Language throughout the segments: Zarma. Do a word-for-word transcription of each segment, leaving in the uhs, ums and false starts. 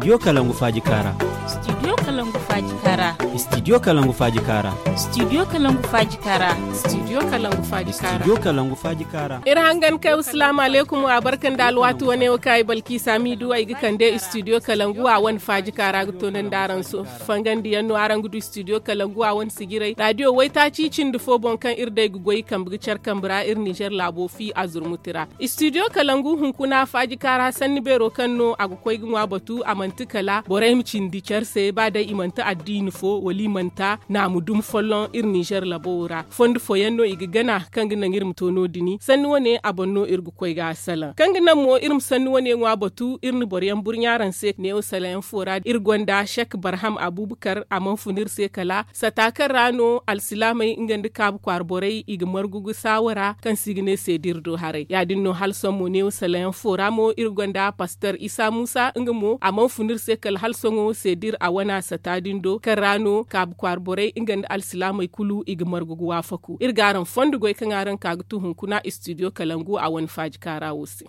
Studio kalangu faaji kaara. Studio kalangu faaji kaara. Studio kalangu faaji kaara. Studio kalangu faaji kaara. Studio kalangu faaji kaara. Studio kalangu faaji kaara. Iri hangan kay wasalaamu aleykum, a barka nda alwaati wane wo kaŋ ay balki saami du ay ga kande studio kalangu a wane faaji kaara ga toonandi araŋ se. Fangandi yaŋ no araŋ ga du studio kalangu a wane sijiray radio waytaaci cindi fo boŋ kaŋ iri day ga goy kambe ga care kambe ra iri nizer laabo fi a zurmuti ra. Studio kalangu hunkuna faaji kaara sanni beero kaŋ no a ga koy ga ŋwa batu a manti kala borey ma cindi care se ba day i manti addiini fo wala i manti a naamu dumi folloŋ iri nizer labo ra fondo fooyaŋ no i ga gana kaŋ ga naŋ iri ma to no- din sanni wane a boŋ no iri ga koy ga a salaŋ kaŋ ga naŋ mo iri ma sanni wane ŋwa batu iri na boroyaŋ burɲa araŋ se neewo salayaŋ fo ra iri gonda sek barham abubakar a mana fun iri se kala sata kaŋ ra no alsilaamey nga nda kaabu kwaara borey i ga margu ga saawara kaŋ se i ga ne seediri do haray ya- din no hala sohõ mo neewo salayaŋ fo ra mo iri gonda paster isa muusa nga mo a mana fun iri se kala hala sohõ seediri a wana sata din do kaŋ ra no kaabu kwaara borey nga nda alsilaamey kulu i ga margu ga waafaku iri ga araŋ fondo goy kaŋ araŋ ka ga tu hunkuna studio kalangu a wane faaji kaara wo se.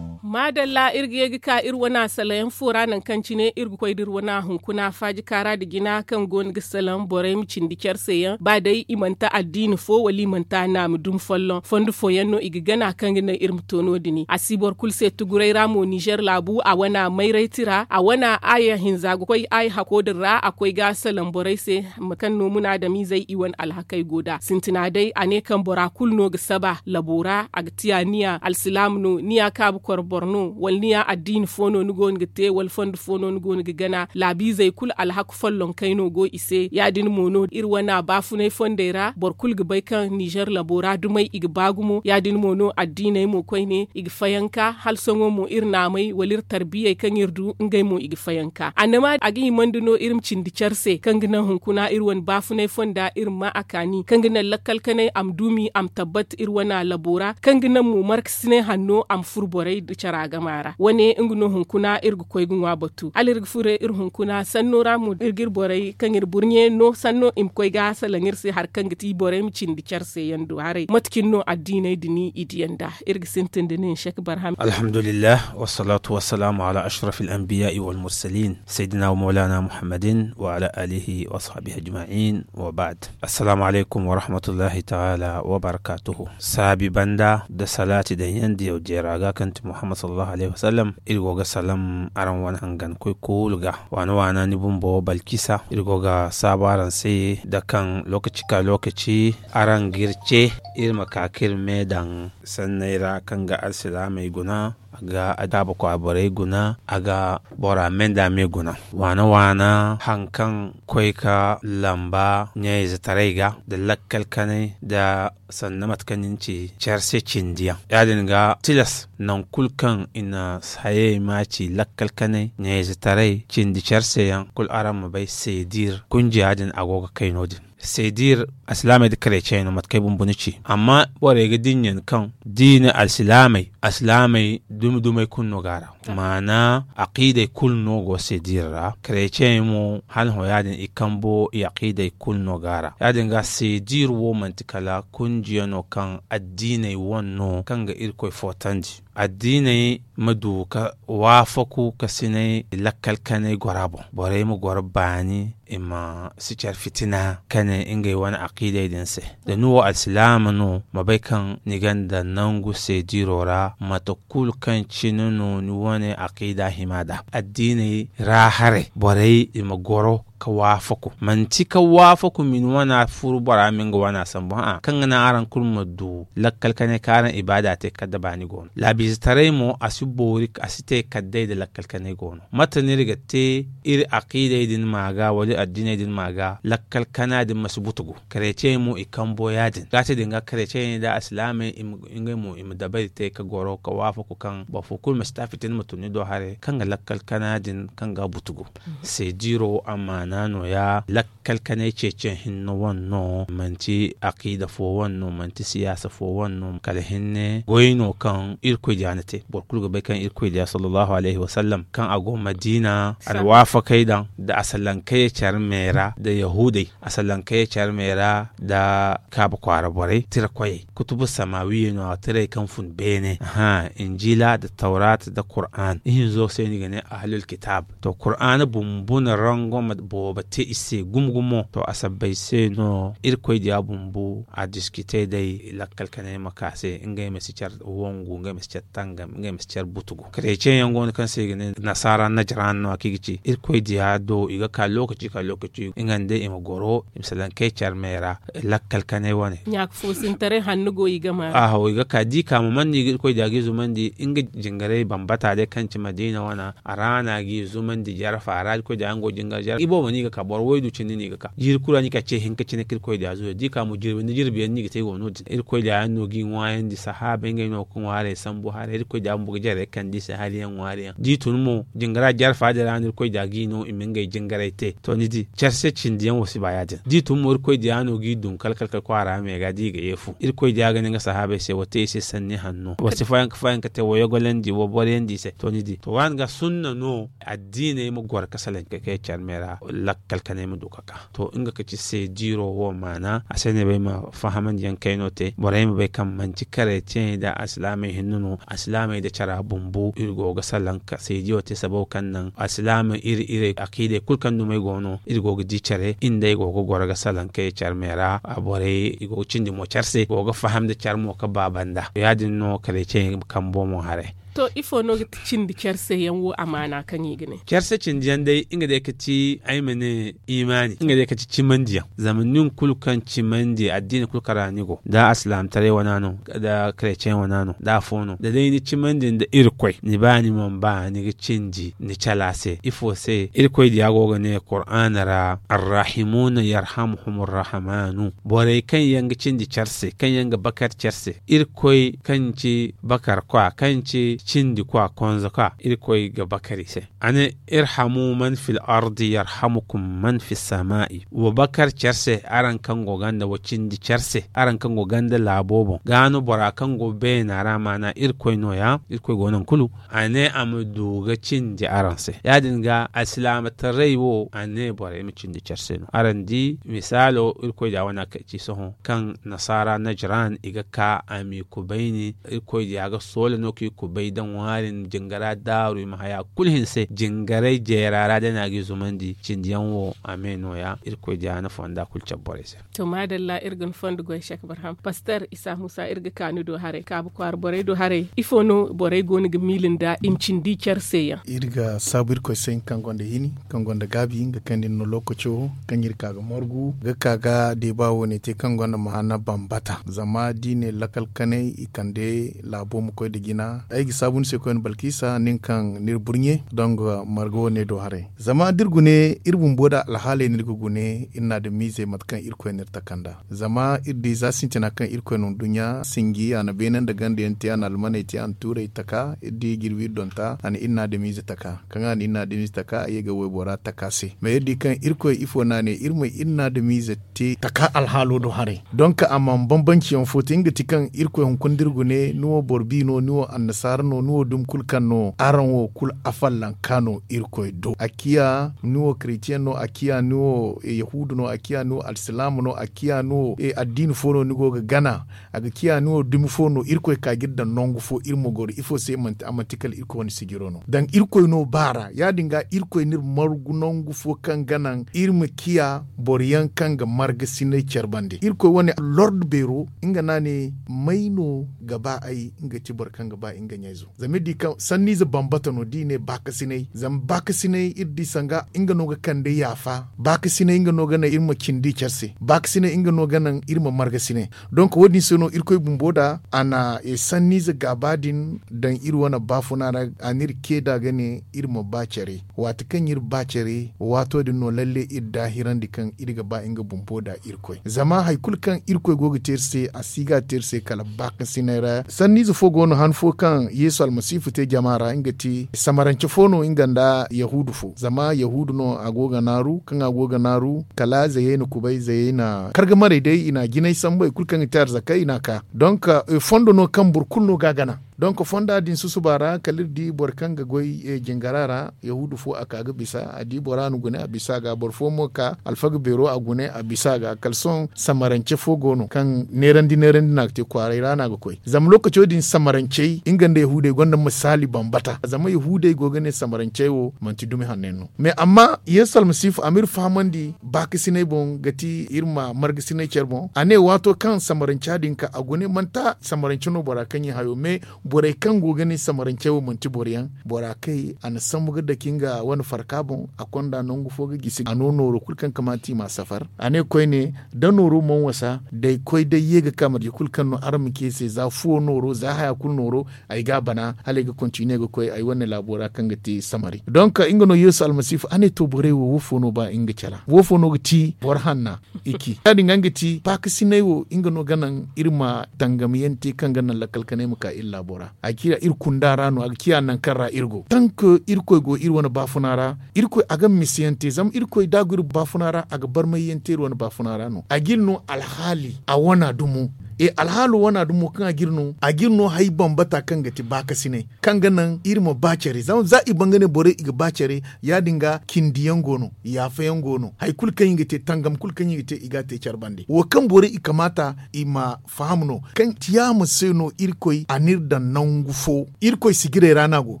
Maadalla iri ga ye ga ka iri wana salayaŋ fo ra nangu kaŋ cine iri ga koy da iri wana hunkuna faaji kaara nda jina kaŋ go no ga salaŋ borey ma cindi care se yaŋ ba day i manti addiini fo wala i manti a naamu dumi folloŋ fondo fooyaŋ no i ga gana kaŋ ga naŋ iri ma to no- din a si boro kulu se tuguray ra mo nizer laabu a wana mayray tira a wana aya hinza ga koy aya hako din ra a koy ga salaŋ borey se mate kaŋ no munaadamiizey i wane alhakey go nd'a sintina day a ne kaŋ bora kulu no ga saba labo ra a ga tiya ni ya alsilaama no ni ya kaabu koro boro no wala ni ya addiini fo no ni go no ga te wala fondo fo no ni go no ga gana laabiizey kulu alhaku folloŋ kay no go i se ya- din mo no iri wana baafunay fondey ra boro kulu ga bay kaŋ nizer labo ra dumey i ga ba gumo ya- din mo no addiiney mo koyne i ga fayanka hala sohõ mo iri naamey wala iri tarbiyey kaŋ iri du ngey mo i ga fayanka annama a ga himandi no iri ma cindi care se kaŋ ga naŋ hunkuna iri wane baafunay fonda iri ma ma a kaani kaŋ ga naŋ lakkal kanay a ma duumi a ma tabbat iri wana labo ra kaŋ ga naŋ mo markasinay hanno a ma furo borey nda cara gama ra wane nga no hunkuna iri ga koy ga ŋwa batu hala iri ga furo iri hunkuna sanno ra mo iri ga iri borey kaŋ iri burɲe no sanno i ma koy ga salaŋ iri se hari kaŋ ga ti borey ma cindi care se yaŋ do haray mate cine no addiiney din i diya nd'a iri ga sintin da nin sek barham alhamdulillah wassalatu wassalamu ala ashrafil anbiya wal mursalin sayyidina wa maulana muhammadin wa ala alihi wa ashabihi ajma'in wa ba'd. Assalamu alaykum wa rahmatullahi ta'ala wa barakatuhu. Saabi banda da salaati daŋ yaŋ diyaw jeera ga kaŋ ti muhammad sallallahu alayhi wa sallam iri go ga salam araŋ wane hangan koy kulu ga waana waana ni bumbo balkisa iri go ga saabu araŋ se da kaŋ lokaci ka lokaci araŋ ga iri ce iri ma ka ka iri me daŋ sanney ra kaŋ ga alsilaamey guna a ga adaabu kwa borey guna a ga bora me nda me guna waana waana hari kaŋ koy ka lamba ɲayzetaray ga nda lakkal kanay nda sanda mate kaŋ ni na ci care se cindi yaŋ ya- din ga tilas nangu kulu kaŋ i na hayey ma ci lakkal kanay ɲayzetaray cindi care se yaŋ kulu araŋ ma bay seedir kunjiya din a go ga kay no- din seedir alsilaamey nda kareecey no mate kaŋ ay bumbo ni ci amma borey ga dinya ni kaŋ diina alsilaamey alsilaamey dumi dumey kulu no go a ra maana aqiidey kulu no go seedir ra kareecey mo hala hõ ya- din i kambo i aqiidey kulu no go a ra ya- din ga seedir wo manti kala kunjiya no kaŋ addiiney wane no kaŋ ga irkoy footandi addiiney ma du ka waafaku ka sinay lakkal kanay gora boŋ borey ma goro baani i ma si care fitina ka ne ngey wane aqiidey din se da ni wo alsilaama no ma bay kaŋ ni gonda nangu seediro ra mate kulu kaŋ cine no ni wane aqiida hima nd'a addiiney ra haray borey i ma goro ka waafaku manti ka waafaku ma ni wana furu bora ma nga wana sambu hã'a kaŋ ga naŋ araŋ kulu ma du lakkal kanay kaŋ araŋ ibaada te kala da baani go no laabiizetaray mo a si boori a si te kala day nda lakkal kanay go no mate no iri ga te iri aqiidey din ma ga wala iri addiiney din ma ga lakkal kana din ma si butugu kareecey mo i kambo ya- din za te din ga kareecey nda alsilaamey ngey mo i ma dabari te ka goro ka waafaku kaŋ boro fo kulu ma si ta fitina ma tun ni do haray kaŋ ga lakkal kana din kaŋ ga butugu seediro amaana no- ya lakkal lakkal kanay ceeciyaŋ hinne wane no, manti akiida fo wane no, manti siyaasa fo wane no, kala hinne goy no kaŋ Irkoy diya na te. Boro kulu ga bay kaŋ Irkoy diya, sallallahu alayhi wa sallam, kaŋ a go Madiina, alwaafakey daŋ nda a salankey care me ra nda Yahuudey, a salankey care me ra nda Kaaba kwaara borey, tirakoyey, kutubu samaawiyey no, a tirey kaŋ fun beene. Aha, Injiila nda Tawraata nda Kur'aan. Ihinzo se no i ga ne Ahlul Kitaab. To, Kur'aana bumbo na rangoma boobo te i se gumo-gumo. To, a sabbay se no Irkoy diya bumbo a diskite day lakkal kanay ma ka se, ngey ma si care wangu, ngey ma si care tangam, ngey ma si care butugu. Kareceyaŋ go no kaŋ se i ga ne nasaara Najran no a kaŋ i ga ci. Irkoy diya do i ga ka lookaci ka lookaci, nga nda i ma goro, i ma salankey care me ra, lakkal kanay wane. Ɲaaka foosintaray hanno go i ga ma. Aho, i ga ka, di ka mo man no i ga Irkoy diya ga i zumandi, nga jingaray bambata day kaŋ ci Madiina wana, a ra no a ga i zumandi jarfa ra, Irkoy diya yaŋ go jingar jarfa. I boobo no i ga ka, boro waydu cindi no i ga ka. Jiiri kulu ra no i ga ka ce hinka cine kaŋ Irkoy diya zuwa. Di ka mo jirbi nda jirbi yaŋ no i ga te go no-din. Irkoy diya yaŋ no ga i ŋwaayandi, sahaaba ngey no ga ŋwaaray sambu haray. Irkoy diya bumbo ga jarey kande i se hari yaŋ ŋwaari yaŋ. Da i tun mo, jingara jarfa din ra no Irkoy diya ga i no i ma ngey jingaray te. To, ni di, care se cindi yaŋ wo si ba ya-din. Da i tun mo, Irkoy diya no ga i dun kal-kal-kal kwaara me ga, da i ga ye fu. Irkoy diya ga ne nga sahaabey se, wa te i se sanni hanno. Wa si fayanka-fayanka te, wa yogolandi, wa boriyandi i se. To, ni di. To, waani ga sunna no, addiiney ma goro ga salaŋ ka kay care me ra, lakkal kanay ma du ka ka. To, nga ka ci seediiro wo maana, a se no ay bay ma fahamandi yaŋ kayno te. Borey ma bay kaŋ manti kareetiyaŋey nda alsilaamey hinne no, alsilaamey nda cara bumbo, iri go ga salaŋ ka seediyo te, sabab kaŋ naŋ alsilaamey iri, iri akiidey kulu kaŋ dumey go no, iri go ga di care, iri nd'ey go ga goro ga salaŋ kay care me ra. A borey, i go ga cindi mo care se, go ga faham nda care mo ka ba banda. Ya-din no kareetiyaŋey kambo mo haray. To, ifo no ga ti cindi care se yaŋ wo amaana kaŋ i ga ne? Care se cindi yaŋ day, nga day ga ti, ay ma ne, imaani. Nga day ga ti cimandi yaŋ. Zama nin kulu kaŋ cimandi, addiini kulu kaŋ ra ni go, da alsilaamataray wana no, da kareceyaŋ wana no, da afo no, da day ni cimandi nda Irkoy, ni ba ni mana ba, ni ga cindi ni cala se. Ifo se? Irkoy diya go ga ne Kur'aana ra, Arrahimuuna yarhamuhumur rahmaanu. Borey kaŋ yaŋ ga cindi care se, kaŋ yaŋ ga bakar care se, Irkoy kaŋ ci bakarkwa, kaŋ ci cindikwa, konzakwa, Irkoy ga bakar i se. A ne, irhamu man fil ardi yarhamukum man fis samaa'i. Wa bakar care se, araŋ kaŋ go ganda, wa cindi care se, araŋ kaŋ go ganda laabo boŋ. Gaa no bora kaŋ go beena ra, maana Irkoy nooya, Irkoy go nangu kulu. A ne a ma du ga cindi araŋ se. Ya-din ga, alsilaamataray wo, a ne borey ma cindi care se no. Araŋ di, misaalo, Irkoy da wane a kay ci sohõ, kaŋ nasaara Najran, i ga ka a m'i kubayni, Irkoy diya ga soola no k'i kubay da ŋwaari, jingara daaru, i ma haya kulu hinse, jingaray jeera ra day no a g'i zumandi, cindi yaŋ wo, a me nooya, Irkoy diya na fonda kulu cabe borey se. To, maadalla, iri ga ni fondo goy, Sheek Barham. Pastor Isa Musa, iri ga ka ni do haray, Kaabu kwaara borey do haray. Ifo no borey goono ga miila nda i ma cindi care se yaŋ? Iri ga saabu Irkoy se, nga kaŋ gonda hini, kaŋ gonda gaabi, nga kaŋ din no lookaco kaŋ iri ka ga margu, ga ka ga deeba wo-ne te kaŋ gonda maana bambata. Zama da i ne lakal kanay, i kande laabo ma koy nda jina. Ay ga saabu ni se koyne Balkisa, nin kaŋ n'iri burɲe, dongo marga wo-ne do haray. Zama da iri gune, iri bumbo da alhaaley no iri ga gune, iri na adamiizey mate kaŋ Irkoy n'iri taka nd'a. Zama iri di za sintina kaŋ Irkoy na nduɲɲa sinji, a na beene nda ganda yaŋ te, a na almaney te, a na tuurey taka, iri di jirbi iri donta, a na iri na adamiize taka. Kaŋ a na iri na adamiize taka, a ye ga waybora taka se. Ma iri di kaŋ Irkoy ifo no a ne, iri ma iri na adamiize te taka alhaalo do haray. Donk a mana bambanciyaŋ fo te, nga ti kaŋ Irkoy hunkuna da iri gune, ni wo boro bi no, ni wo annasaara no, ni wo dumi kulu kaŋ no, araŋ wo kulu afollanka no Irkoy do. A ciya ni wo karetiyaŋ no, a ciya ni wo, eh, yahuudu no, a ciya ni wo alsilaama no, a ciya ni wo, eh, addiini fo no ni go ga gana, a ga ciya ni wo dumi fo no, Irkoy ka ga iri daŋ nangu fo, iri ma goro. Ifo se manti, a manti kala Irkoy wane sijiro no? Daŋ Irkoy no baara. Ya-din ga Irkoy n'iri margu nangu fo kaŋ ga naŋ iri ma ciya boro yaŋ kaŋ ga margasinay care bande. Irkoy wane lordo beero, nga no a ne, may no ga ba ay, nga ti boro kaŋ ga ba nga ɲayzo. Zama iri di kaŋ sanniize bambata no, da i ne baakasinay. Zama baakasinay, iri di sanga nga no ga kande yaafa. Baakasinay, nga no ga naŋ iri ma cindi care se. Baakasinay, nga no ga naŋ iri ma margasinay. Donk, wo-din se no Irkoy bumbo da a na, eh, sanniize gaaba din daŋ iri wane baafuna ra, a n'iri ce da ga ne iri ma ba care. Waati kaŋ iri ba care, waato din no lalle iri daahirandi kaŋ iri ga ba nga bumbo da Irkoy. Zama hay kulu kaŋ Irkoy go ga te iri se, a si ga te iri se kala baakasinay ra. Sanniize fo go no, han fo kaŋ Yeesu almasiifu te jama ra nga ti samarance fo no nga nda yahuudu fo zama yahuudu no a go ga naaru kaŋ a go ga naaru kala zayey na kubay zayey na karga marey day i na jinay sambu hari kulu kaŋ ga te arzakey i na a ka. Donk fondo no kaŋ boro kulu no ga a gana. Donk fonda din susuba ra kala iri di boro kaŋ ga goy jingara ra yahuudu fo a ka ga bisa a di bora no gune a bisa a ga boro fo mo ka alfaga beero a gune a bisa a ga kala sohõ samarance fo go no kaŋ neerandi neerandi no a ga te kwaaray ra no a ga koy zama lookaco din samarancey nga nda yahuudey gonda misaali bambata zama yahuudey go ga ne samarancey wo manti dumi hanno yaŋ no mais amma yeesu almasiifu a ma iri fahamandi baakasinay boŋ ga ti iri ma margasinay care boŋ a ne waato kaŋ samaranca din ka a gune manti samarance no bora kaŋ ye hayo mais borey kaŋ go ga ne samarance wo manti boro yaŋ bora kay a na sambu ga dake nga wane farka boŋ a konda nangu fo ga gisi a no nooro kulu kaŋ kamaata i ma safar a ne koyne da nooro mana wasa day koy day ye ga ka marje kulu kaŋ no araŋ ma ci ay se za fuwo nooro za haya kulu nooro ay ga a bana hala ay ga kontine ga koy ay wane laabo ra kaŋ ga te samari donk nga no yeesu almasiifu a ne to borey wo woofo no ba nga cala woofo no ga ti boro hanna i ci ya- din ga nga ti paakasinay wo nga no ga naŋ iri ma tangam yaŋ te kaŋ ga naŋ lakkal kanay ma ka iri laabo ra a ga ciya iri kunda ra no a ga ciya nangu kaŋ ra iri go tank irkoy go iri wane baafuna ra irkoy a ga misa yaŋ te zama irkoy da a go iri baafuna ra a ga barmay yaŋ te iri wane baafuna ra no a ga iri no alhaali a wana dumo e alhaalo wana dumo kaŋ a ga iri no a ga iri no hari bambata kaŋ ga ti baakasinay kaŋ ga naŋ iri ma ba care zama za i ban ga ne borey i ga ba care ya- din ga cindi yaŋ go no yaafa yaŋ go no hari kulu kaŋ i ga te tangam kulu kaŋ i ga te i ga a te care bande wo kaŋ borey i kamaata i ma faham no kaŋ tiyaama se no irkoy a n'iri daŋ nangu fo irkoy sijirey ra no a go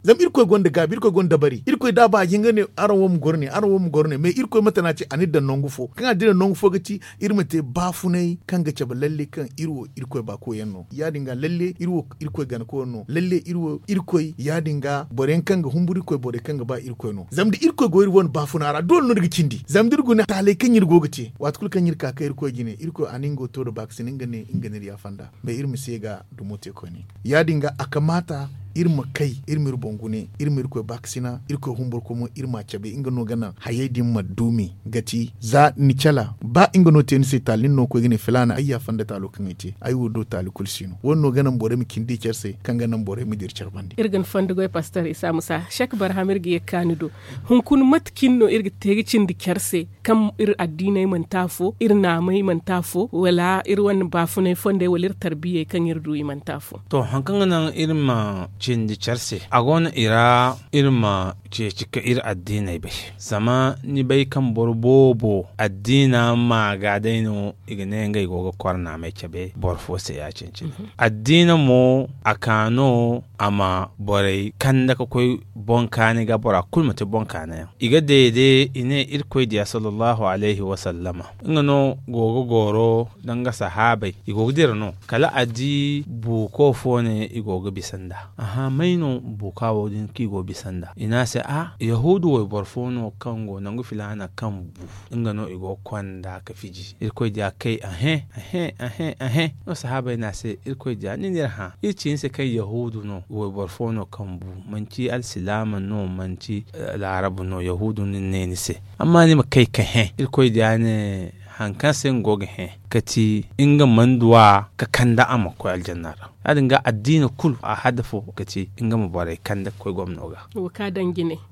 zama irkoy gonda gaabi irkoy gonda dabari irkoy da a ba a ga hin ga ne araŋ wo ma goro ne araŋ wo ma goro ne mais irkoy mate no a ci a n'iri daŋ nangu fo kaŋ a dira nangu fo ga ci iri ma te baafunay kaŋ ga cabe lalle kaŋ iri wo irkoy baakoy yaŋ no ya- din ga lalle iri wo irkoy gana koyne no lalle iri wo irkoy ya- din ga boro yaŋ kaŋ ga humburu irkoy borey kaŋ ga ba irkoy no zama da irkoy go iri wane baafuna ra doole no iri ga cindi zama da iri guna taaley kaŋ iri go ga te waati kulu kaŋ iri ka ka irkoy jine irkoy a na nga wo to nda baakasina nga ne nga n'iri yaafa nd'a mais iri ma si ye ga dumo te koyne ya- din ga a kamaata iri ma kay iri ma iri boŋ gune iri ma irkoy baakasina irkoy humburkoy mo iri m'a cabe nga no ga naŋ hayey din ma duumi ga ti za ni cala ba nga no te ni se taali ni no ga koy ga ne filaana ay yaafa nda taalo kaŋ ay te ay wo do taali kulu si no wo- din no ga naŋ borey ma cindi care se kaŋ ga naŋ borey ma dira care bande iri ga ni fondo goy pastor isa musa sek barham iri ga ye ga ka ni do hunkuna mate cine no iri ga te ga cindi care se kaŋ iri addiiney mana te afo iri naamey mana te afo wala iri wane baafunay fondey wala iri tarbiyey kaŋ iri du i mana te afo to hari kaŋ ga naŋ iri ma cindi care se a go no i ra iri ma ceeci ka iri addiiney bay zama ni bay kaŋ boro boobo addiina ma ga day no i ga ne ngey go ga kor naamey cabe boro fo se ya- cine-cine addiina mo a ka no a ma borey kande ga koy boŋ kaani ga bora kulu ma te boŋ kaani yaŋ i ga deede i ne irkoy diya sallallahu alayhi wasallama nga no go ga goro nda nga sahaabey i go ga dira no kala a di buuko fo ne i go ga bisa nd'a aha may no buuka wo din kaŋ i go ga bisa nd'a i ne a se a yahuudu wayboro fo no kaŋ go nangu filaana kaŋ bu nga no i go ga konda ka fiji irkoy diya kay ahe ahe ahe ahe no sahaabey ne a se irkoy diya ni n'iri hã iri ci ni se kaŋ yahuudu no wayboro fo no kaŋ bu manci alsilaama no manci laarabu no yahuudu no ni ne ni se amma ni ma kay ka hẽ irkoy diya ne hari kaŋ se nga go ga hẽ ka ti nga mana duw'a ka kande a ma koy aljanna ra ya- din ga addiina kulu a hadafo ga ti nga ma borey kande ga koy gomno ga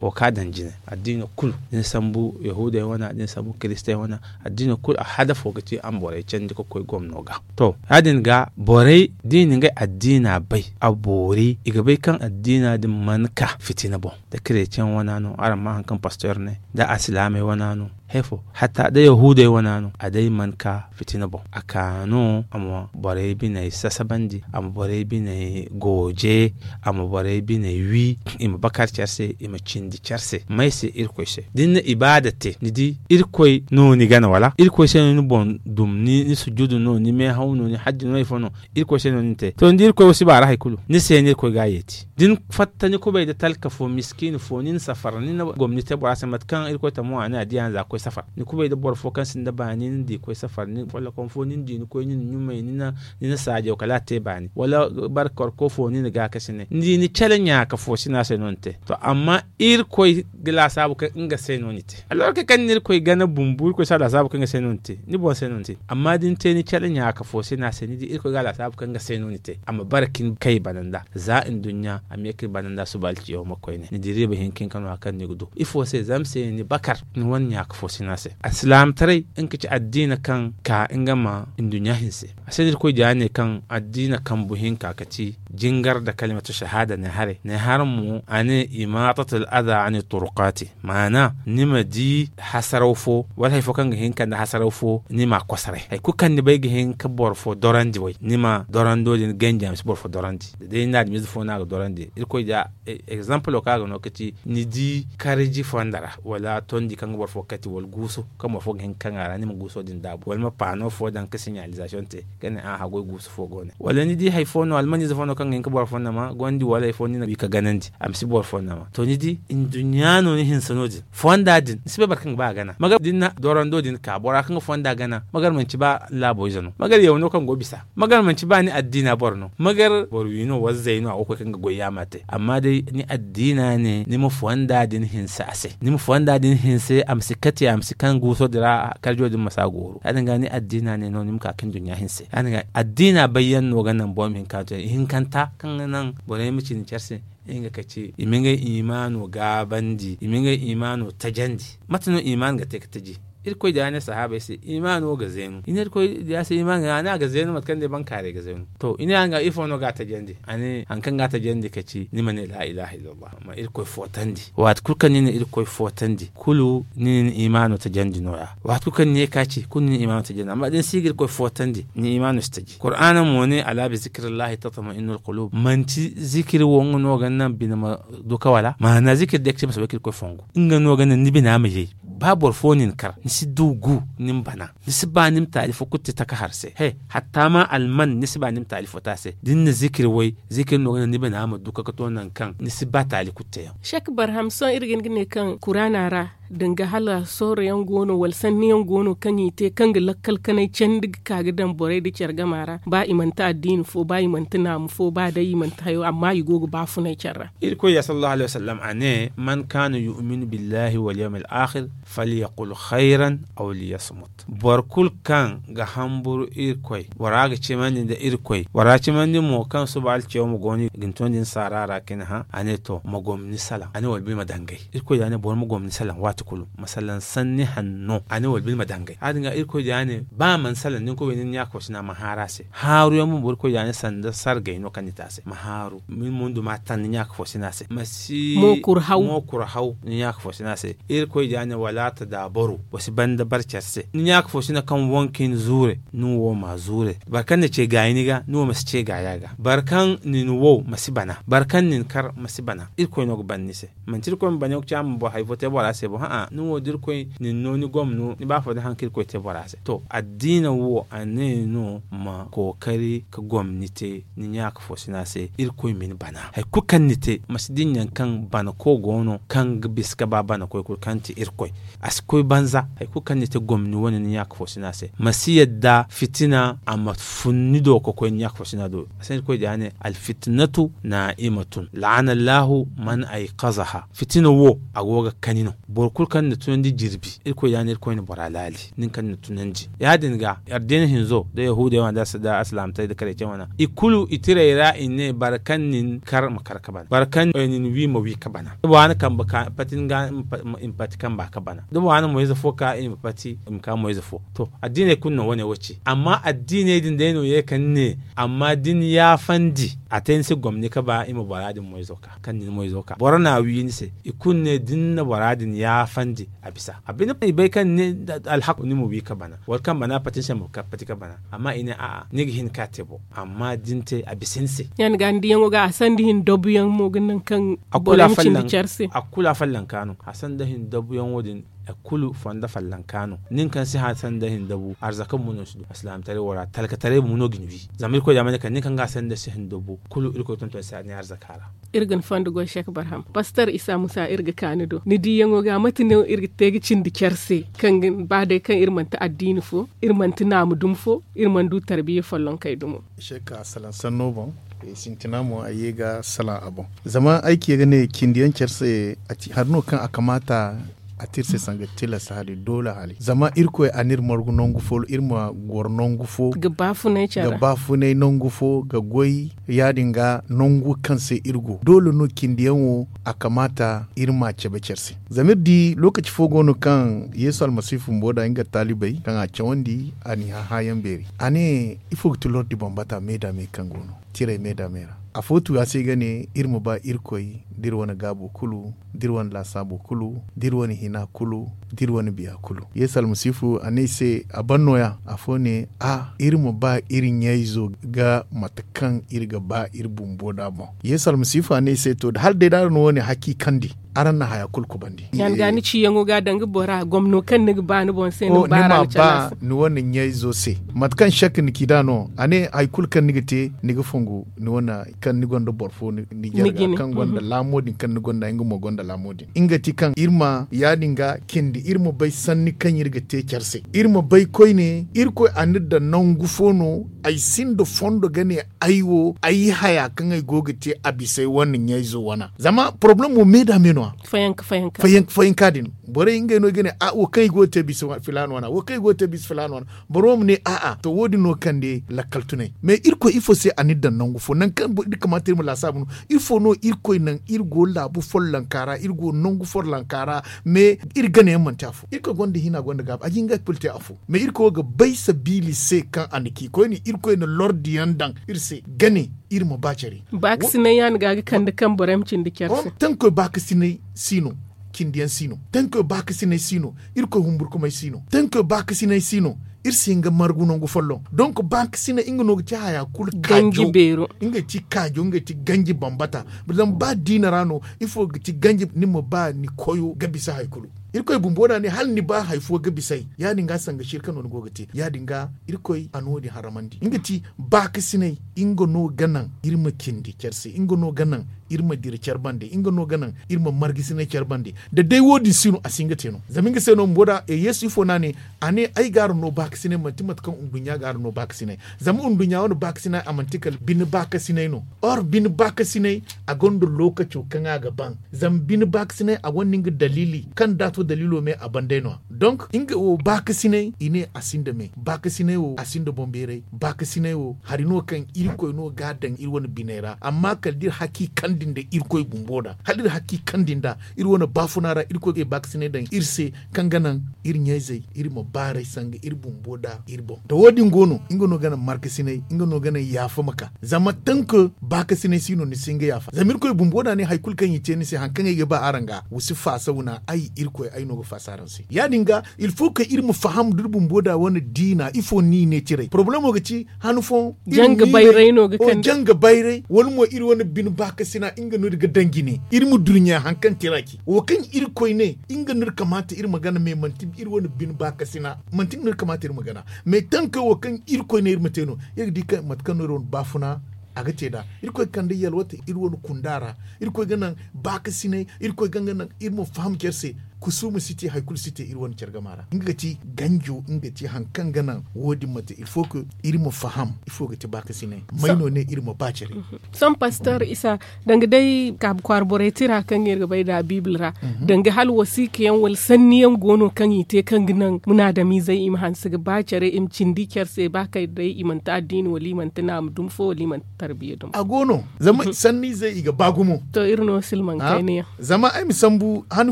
wo kaŋ a daŋ jine addiina kulu da ni sambu yahuudey wane da ni sambu kiristey wane addiina kulu a hadafo ga ti a ma borey candi ga koy gomno ga to ya- din ga borey da i na ngey addiina bay a boori i ga bay kaŋ addiina din mana ka fitina boŋ da kireceŋ wana no araŋ ma hari kaŋ pastor ne da alsilaamey wana no he fo hatta da yahuudey wana no a day mana ka fitina boŋ a ka no a ma borey biney sasabandi a ma borey biney gooje a ma borey biney wi i ma bakar care se i ma cindi care se may se irkoy se da ni na ibaada te ni di irkoy no ni gana wala irkoy se no ni boŋ dum ni sujudu no ni meehaw no ni hajji no ifo no irkoy se no ni te to ni di irkoy wo si ba ra hari kulu ni se no irkoy ga a yeeti da ni fatta ni kubay da talka fo miskiina fo ni na safar ni na gomni te bora se mate kaŋ irkoy tamo a ne a di a na za ga koy safar ni kubay da boro fo kaŋ sinda baani ni na di ga koy safar ni follok Konfo ni na di ni koy ni na ɲumay ni na saajaw kala a te baani wala barkorko fo ni na gaakasinay ni di ni cale ɲaaka fo sina se no ni te. To amma irkoy ga laasaabu kaŋ nga se no ni te. Alorka kaŋ ni na irkoy gana bumbu irkoy si a laasaabu kaŋ nga se no ni te ni boŋ se no ni te. Amma da ni te ni cale ɲaaka fo sina se ni di irkoy ga a laasaabu kaŋ nga se no ni te a ma bara ka ni kay bana nda za nduɲɲa a ma ye ka ni bana nda suba alciyaw ma koyne ni di riiba hinka hinka no hari kaŋ ni ga du ifo se zama se ni bakar ni wane ɲaaka fo sina se. Alsilaamataray nga ka ci addiina kaŋ ka nga ma nduɲɲa hinse. A se no irkoy diya ne kaŋ addiina kambu hinka ka ci jingar nda kalimatu shahaada ne haray ne hara mo a ne imaatatul aza ani turukaati maana ni ma di hasaraw fo wala hari fo kaŋ ga hin ka nda hasaraw fo ni ma a kosoray hari kulu kaŋ ni bay ga hin ka boro fo dorandi way ni ma dorando din ganji a ma si boro fo dorandi. Da day ni na adamize fo no a ga dorandi irkoy diya egzampulo kaŋ a ga no ka ci ni di karji fonda ra wala tondi kaŋ ga boro fo kati wala guuso kaŋ boro fo ga hin ka kaŋ a ra ni ma guuso din daabu wala ma paano fo daŋ ka siɲalizasiyoŋ te ka ne a haggoy guusu fo go ne wala ni di hari fo no almaniize fo no kaŋ ga hin ka boro fo nama gondi wala hari fo ni na wi ka ganandi a ma si boro fo nama to ni di nduɲɲa no ni hinse no- din fonda din ni si bay boro kaŋ ga ba a gana magar da ni na dorando din ka bora kaŋ ga fonda gana magar manci ba ni laabo ize no magar yaw no kaŋ go bisa magar manci ba ni addiina boro no magar boro wi no wala zay no a go ga koy kaŋ ga goy yaama te amma day ni addiina ne ni ma fonda din hinse a se ni ma fonda din hinse a ma si kate a ma si kaŋ guuso din ra karjo din ma si a gooru ya- din ga ni addiina ne no ni ma ka ka nduɲɲa hinse ya- din ga addiina bayyaŋ no ga naŋ boro ma hin ka te ihinkanta kaŋ ga naŋ borey ma ci ni care se nga ka ci i ma ngey imaano gaabandi i ma ngey imaano tajandi. Mate no imaano ga te ka taji? Irkoy diya ne sahaabey se imaano ga zeenu i ne irkoy diya se imaano ga a ne a ga zeenu mate kaŋ day bankaaray ga zeenu. To i ne a nga ifo no ga a tajandi a ne hari kaŋ ga a tajandi ka ci ni ma ne laa ilaaha illallah ma irkoy footandi waati kulu kaŋ ni na irkoy footandi kulu ni na ni imaano tajandi no- ya waati kulu kaŋ ni ye ka ci kulu ni na imaano tajandi amma da ni si ga irkoy footandi ni imaano si taji kuraana mo ne alaa bi zikirillahi tatma'innul qulub manti zikiri wo nga no ga naŋ bine ma duka wala maana zikiri day ga ci ma soobay ka irkoy fongu nga no ga naŋ ni bina ma yay ba boro fo nin kar ni si du gu ni ma bana ni si ba ni ma taali fo kulu te taka har se he hatta ma alman ni si ba ni ma taali fo te a se da ni na zikiri way zikiri no ga naŋ ni bina ma duka ka to nangu kaŋ ni si ba taali kulu te yaŋ. Shek barham sohõ iri ga hin ga ne kaŋ kuraana ra danga hala sohoro yaŋ go no wala sanni yaŋ go no kaŋ i te kaŋ ga lakkal kanay candi ga ka ga daŋ borey nda care gama ra ba i manti addiini fo ba i manti naamu fo ba day i manti hayo amma i go ga baafunay care ra. Irkoy ya sallallahu alaihi wasallam a ne man kaana yu'minu billahi wal yawmil akhir falyaqul khayran aw liyasmut. Boro kulu kaŋ ga hamburu irkoy bora ga cimandi nda irkoy bora cimandi mo kaŋ suba alciyawma go no i ga ni tondi ni saara ra ka ni hã a ne to ma gomni salaŋ a ne wala ba ni ma dangay irkoy da a ne boro ma gomni salaŋ waati kulu ma salaŋ sanni hanno a ne wala ba ni ma dangay ya- din ga irkoy da a ne ba a mana salaŋ da ni koy bay ni na ɲaaka fo sina ma haaru a se haaru yaŋ bumbo irkoy da a ne sanda sargay no kaŋ ni te a se ma haaru ma ni mundu ma a taŋ ni ɲaaka fo sina se ma si mo kuru haw ni ɲaaka fo sina se. Irkoy da a ne wala tadaabaru wa si banda bare care se ni ɲaaka fo sina kaŋ wanka ni zuure ni wo ma zuure boro kaŋ na ce gaayi ni ga ni wo ma si ce gaaya ga boro kaŋ nin wow ma si bana boro kaŋ nin kar ma si bana irkoy no ga ban ni se. Manti irkoy ma bana yaŋ ga ci a ma boro hari fo te bora se bo hã'a ni wo da irkoy nin no ni gomno ni ba fo da haŋ kaŋ irkoy te bora se to addiina wo a ne no ma kookari ka gomni te ni ɲaaka fo sina se irkoy ma ni bana hari kulu kaŋ ni te ma si dinya kaŋ bana ko go no kaŋ ga bisa ka ba bana koy kulu kaŋ ti irkoy a si koy banza hari kulu kaŋ ni te gomni wane ni ɲaaka fo sina se ma si yadda fitina a ma fun ni do ka koy ni ɲaaka fo sina do a se no irkoy da ya ne alfitinatu naa'imatun la'ana allahu man aykazaha fitina wo a go ga kani no boro kulu kaŋ na tunandi jirbi irkoy da ya ne irkoy na bora laali nin kaŋ na tunandi ya- din ga addiina hinzo da yahuudey wane da alsilaamataray da kareecey wane i kulu i tiray ra i ne boro kaŋ nin kar ma kar ka bana boro kaŋ nin wi ma wi ka bana da bora na kambe pati ni ga i ma pati kamba ka bana da bora na moyze fo ka i ma pati i ma ka moyze fo to addiiney kulu no wane wo ci amma addiiney din day no ye ka ni ne amma da ni yaafandi a te ni se gomni ka ba i ma bora din moyzo ka kaŋ nin moyzo ka boro na a wi ni se i kulu ne da ni na bora din yaafandi a bisa a bine i bay kaŋ ni ne alhaku ni ma wi ka bana wala kaŋ bana pati ni se ma pati ka bana amma i ne a'a ni ga hin ka te bo amma da ni te a bisa ni se. Ya- ni ga ni diyaŋo ga a sanda hin dabuyaŋ mo ga naŋ kaŋ boro ma cindi care se a kulu a fallanka no a sanda hin dabuyaŋo din Kulu fondo fallanka no. Nin kaŋ si hã sanda hinda bu arzaka mo no si du alsilaamataray wo ra talkataray mo no ga ni wi. Zama irkoy da mana kaŋ nin kaŋ ga sanda si hinda bu kulu irkoy tonton si a ne arzaka ra. Iri ga ni fondo goy sek barham pastor isa musa iri ga ka ni do ni diyaŋo ga mate no iri ga te ga cindi care se kaŋ ba day kaŋ iri manti addiini fo, iri manti naamu dumi fo, iri mana du tarbiya follonkey dumo. Sek a salaŋ sanno boŋ. Sintina mo a ye ga salaŋ a boŋ. Zama ay ci ga ne cindi yaŋ care se hari no kaŋ a kamaata a te iri se sanga tilas hari doole hari zama irkoy a n'iri margu nangu fo iri ma goro nangu fo ga baafunay nangu fo ga goy ya- din ga nangu kaŋ se iri go doole no cindi yaŋo a kamaata iri ma a cabe care se. Zama iri di lokaci fo go no kaŋ yeesu almasihu bumbo nda nga taalibey kaŋ a cawandi a n'i hã hãyaŋ beeri a ne ifo ga ti lordi bambata me nda me kaŋ go no tirey me nda me ra. Afo tu a se ga ne iri ma ba irkoy da iri wane gaabo kulu da iri wane laasaabo kulu da iri wane hina kulu da iri wane biya kulu. Yeesu almasiifu a ne i se a ban nooya afo ne a iri ma ba iri ɲayzo ga mate kaŋ iri ga ba iri bumbo nd'a boŋ. Yeesu almasiifu a ne i se to da hala day da araŋ na wo- ne haki kandi araŋ na haya kulu kubandi. Yaŋ ga ni ciyaŋo ga danga bora gomno kaŋ ni ga ba ni boŋ se ni ga ba araŋ ga cana se. Ni wane ɲayzo se mate kaŋ sek ni ci nd'a no a ne hari kulu kaŋ ni ga te ni ga fongu ni wane kaŋ ni gonda boro fo ni jare ga kaŋ gonda laamo din kaŋ ni gonda nga mo gonda laamo din nga ti kaŋ iri ma ya- din ga cindi iri ma bay sanni kaŋ iri ga te care se iri ma bay koyne irkoy a n'iri daŋ nangu fo no ay sinda fondo ga ne ay wo ay haya kaŋ ay go ga te a bisa ay wane ɲayzo wana zama porobalem wo me nda me no- ya fayanka fayanka din borey ngey no ay ga ne a wo kaŋ ay go ga te bisa filaana wana wo kaŋ ay go ga te bisa filaana wana boro ma ne a'a to wo- din no kande lakkal tunay mais irkoy ifo se a n'iri daŋ nangu fo nangu kaŋ iri kamaata iri ma laasaabu no ifo no irkoy naŋ iri go laabu follanka ra iri go nangu follanka ra mais iri ganayaŋ manti afo irkoy gonda hina gonda gaabu a ga hin ga kulu te afo mais irkoy wo ga bay sabiili se kaŋ a na ci koyne irkoy na lordiyaŋ daŋ iri se gane iri ma ba care. Baakasinay yaŋ ga ga kande kaŋ borey ma cindi care se. Tankoy baakasinay si no cindiyaŋ si no tankoy baakasinay si no irkoy humburkumay si no tankoy baakasinay si no iri si hin ga margu nangu folloŋ donk baakasinay nga no ga ci haya kulu kaajo nga ga ci kaajo nga ga ci ganji bambata zama ba diina ra no ifo ga ci ganji ni ma ba ni koyo ga bisa hari kulu irkoy bumbo da ne hala ni ba hari fo ga bisa ay ya- din ga sanga shirka no ni go ga te ya- din ga irkoy a no- din haramandi nga ga ci baakasinay nga no ga naŋ iri ma cindi care se nga no ga naŋ iri ma dira care bande nga no ga naŋ iri ma margasinay care bande da day wo- din si no a si hin ga te no zama nga se no bumbo da yeesu ifo no a ne a ne ay ga araŋ no baakasinay manti mate kaŋ nduɲɲa ga araŋ no baakasinay zama nduɲɲa wane baakasinay a manti kala bine baakasinay no or bine baakasinay a gonda lookaco kaŋ a ga ban zama bine baakasinay a gonda nga daliili kaŋ da a to daliilo me a ban day no- ya donk nga wo baakasinay i ne a sinda me baakasinay wo a sinda boŋbeeray baakasinay wo hari no kaŋ irkoy no ga a daŋ iri wane biney ra amma kala da iri haki kandi nda irkoy bumbo nd'a hala iri haki kandi nd'a iri wane baafuna ra irkoy ga ay baakasinay daŋ iri se kaŋ ga naŋ iri ɲayzey iri ma baaray sanga iri bumbo nd'a iri boŋ da wo- din go no nga no ga naŋ markasinay nga no ga naŋ yaafa ma ka zama tanka baakasinay si no ni si hin ga yaafa zama irkoy bumbo nd'a ne hari kulu kaŋ i te ni se hari kaŋ ay ga ba araŋ ga wa si faasa wuna ay irkoy ay no ga faasa araŋ se ya- din ga il faut que iri ma faham da iri bumbo nd'a wane diina ifo no i ne ciray porobalemo ga ci han fooyaŋ janga bayray no ga kande janga bayray wala mo iri wane bine baakasina nga no iri ga daŋ jine iri ma durɲa hari kaŋ tira ci wo kaŋ irkoy ne nga no iri kamaata iri ma gana mais manti iri wane bine baakasina manti nga no iri kamaata iri ma gana mais tanka wo kaŋ irkoy ne iri ma te no iri ga di mate kaŋ no iri wane baafuna a ga te nd'a irkoy ga kande yalwate iri wane kunda ra irkoy ga naŋ baakasinay irkoy ga nga naŋ iri ma faham care se kusuuma si te hari kulu si te iri wane care gama ra nga ga ci ganjo nga ga ci hari kaŋ ga naŋ wo- din ma te il faut que iri ma faham ifo ga ti baakasinay may no ne iri ma ba care sohõ pastor isa danga day kaabu kwaara borey tira kaŋ iri ga bay nd'a biibil ra danga hala wasiika yaŋ wala sanni yaŋ go no kaŋ i te kaŋ ga naŋ munaadamiizey i ma hanse ga ba care i ma cindi care se ba kay day i manti addiini wala i manti naama dumi fo wala i manti tarbiya dumi a go no zama sanniizey i ga ba gumo to iri no silmaŋ kayna yaŋ zama ay ma sambu han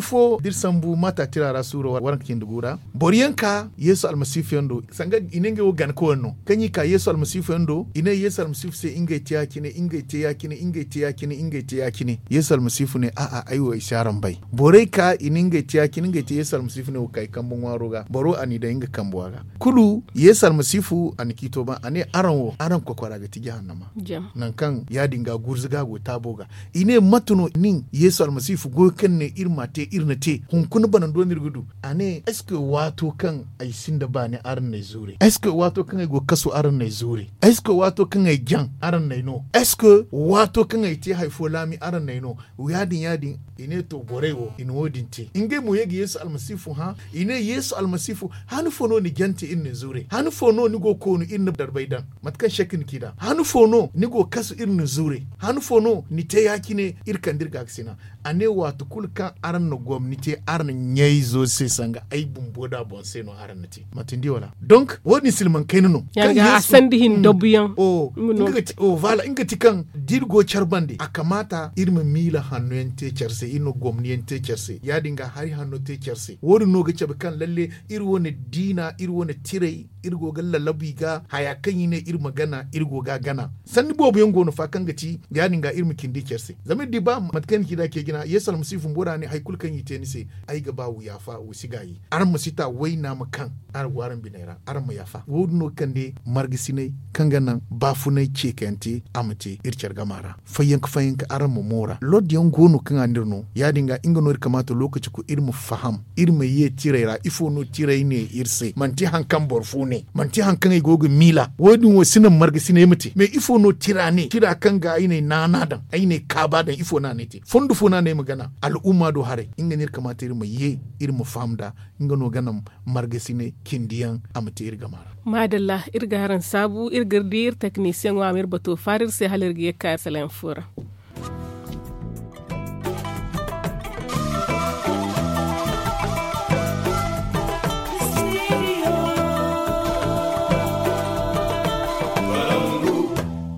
fo da iri sambu maata tira ra suuro waranka cindi gu ra boro yaŋ ka yeesu almasiifu yaŋ do sanga i ne ngey wo gana koyne no kaŋ i ka yeesu almasiifu yaŋ do i ne yeesu almasiifu se ngey te ya- cine ngey te ya- cine ngey te ya- cine ngey te ya- cine yeesu almasiifu ne a'a ay wo ay si araŋ bay borey ka i ne ngey te ya- cine ngey te yeesu almasiifu ne wo ka ay kambe ŋwaaro ga boro a n'i daŋ nga kambuwa ga kulu yeesu almasiifu a na ciito ba a ne araŋ wo araŋ kokora ga ti jahannama nangu kaŋ ya- din ga gurzuga go taabo ga i ne mate no nin yeesu almasiifu goyo kaŋ ne iri m'a te iri na te Hunkuna banando no iri ga du. A ne est ce que waato kaŋ ay sinda baani araŋ n'ay zuure? Est ce que waato kaŋ ay go kasu araŋ n'ay zuure? Est ce que waato kaŋ ay jaŋ araŋ n'ay no? Est ce que waato kaŋ ay te hari fo laami araŋ n'ay no? Ya- din ya- din, i ne to borey wo i na wo- din te. Ngey mo ye ga yeesu almasiifu hã. I ne yeesu almasiifu, han fo no ni jante iri na ni zuure? Han fo no ni go koonu iri na darbay daŋ? Mate kaŋ sek ni k'i daŋ, han fo no ni go kasu iri na ni zuure? Han fo no ni te ya- cine iri kande iri gaakasina? A ne waati kulu kaŋ araŋ na gomni te araŋ ɲayzo se sanga ay bumbo da boŋ se no araŋ na te. Mate ni di wala? Donc wo- din silmaŋ kayna no. Kaŋ a sanda hin dabuyaŋ. Nga ti kaŋ da iri go care bande a kamaata iri ma miila hanno yaŋ te care se, iri ma gomni yaŋ te care se, ya- din ga hari hanno te care se. Wo- din no ga cabe kaŋ lalle iri wane diina, iri wane tiray, iri go ga lalabu i ga haya kaŋ i ne iri ma gana, iri go ga a gana. Sanni boobo yaŋ go no fa kaŋ ga ti ya- din ga iri ma cindi care se. Zama iri di ba mate kaŋ ni ci da ce jina yeesu almasiifu bumbo da ne hari kulu kaŋ i te ni se, ay ga ba wa yaafa, wa si gaayi. Araŋ ma si ta wayna ma kaŋ araŋ go araŋ biney ra, araŋ ma yaafa. Wo- din no ga kande margasinay kaŋ ga naŋ baafunay ceekayante a ma te iri care gama ra. Fayyanka fayyanka araŋ ma moora lord yaŋ go no kaŋ a n'iri no. Ya- din ga nga no iri kamaata lookaci kulu iri ma faham, iri ma ye tiray ra ifo no tiray ne iri se? Manti hari kaŋ boro fo ne, manti hari kaŋ ay go ga miila. Wo- din wo si naŋ margasinay ma te mais ifo no tira ne? Tira kaŋ ga ay n'ay naana daŋ, ay n'ay kaaba daŋ, ifo no a n'ay te? Fondo fo no a n'ay ma gana al'umma do haray. Nga no iri kamaata iri ma ye, iri ma faham nd'a. Nga no ga naŋ margasinay cindi yaŋ a ma te iri gama ra. Maadalla, iri ga araŋ saabu, iri ga iri di iri teknisiyaŋo a ma iri bato faara iri se hala iri ga ye ga ka iri salaŋ fo ra.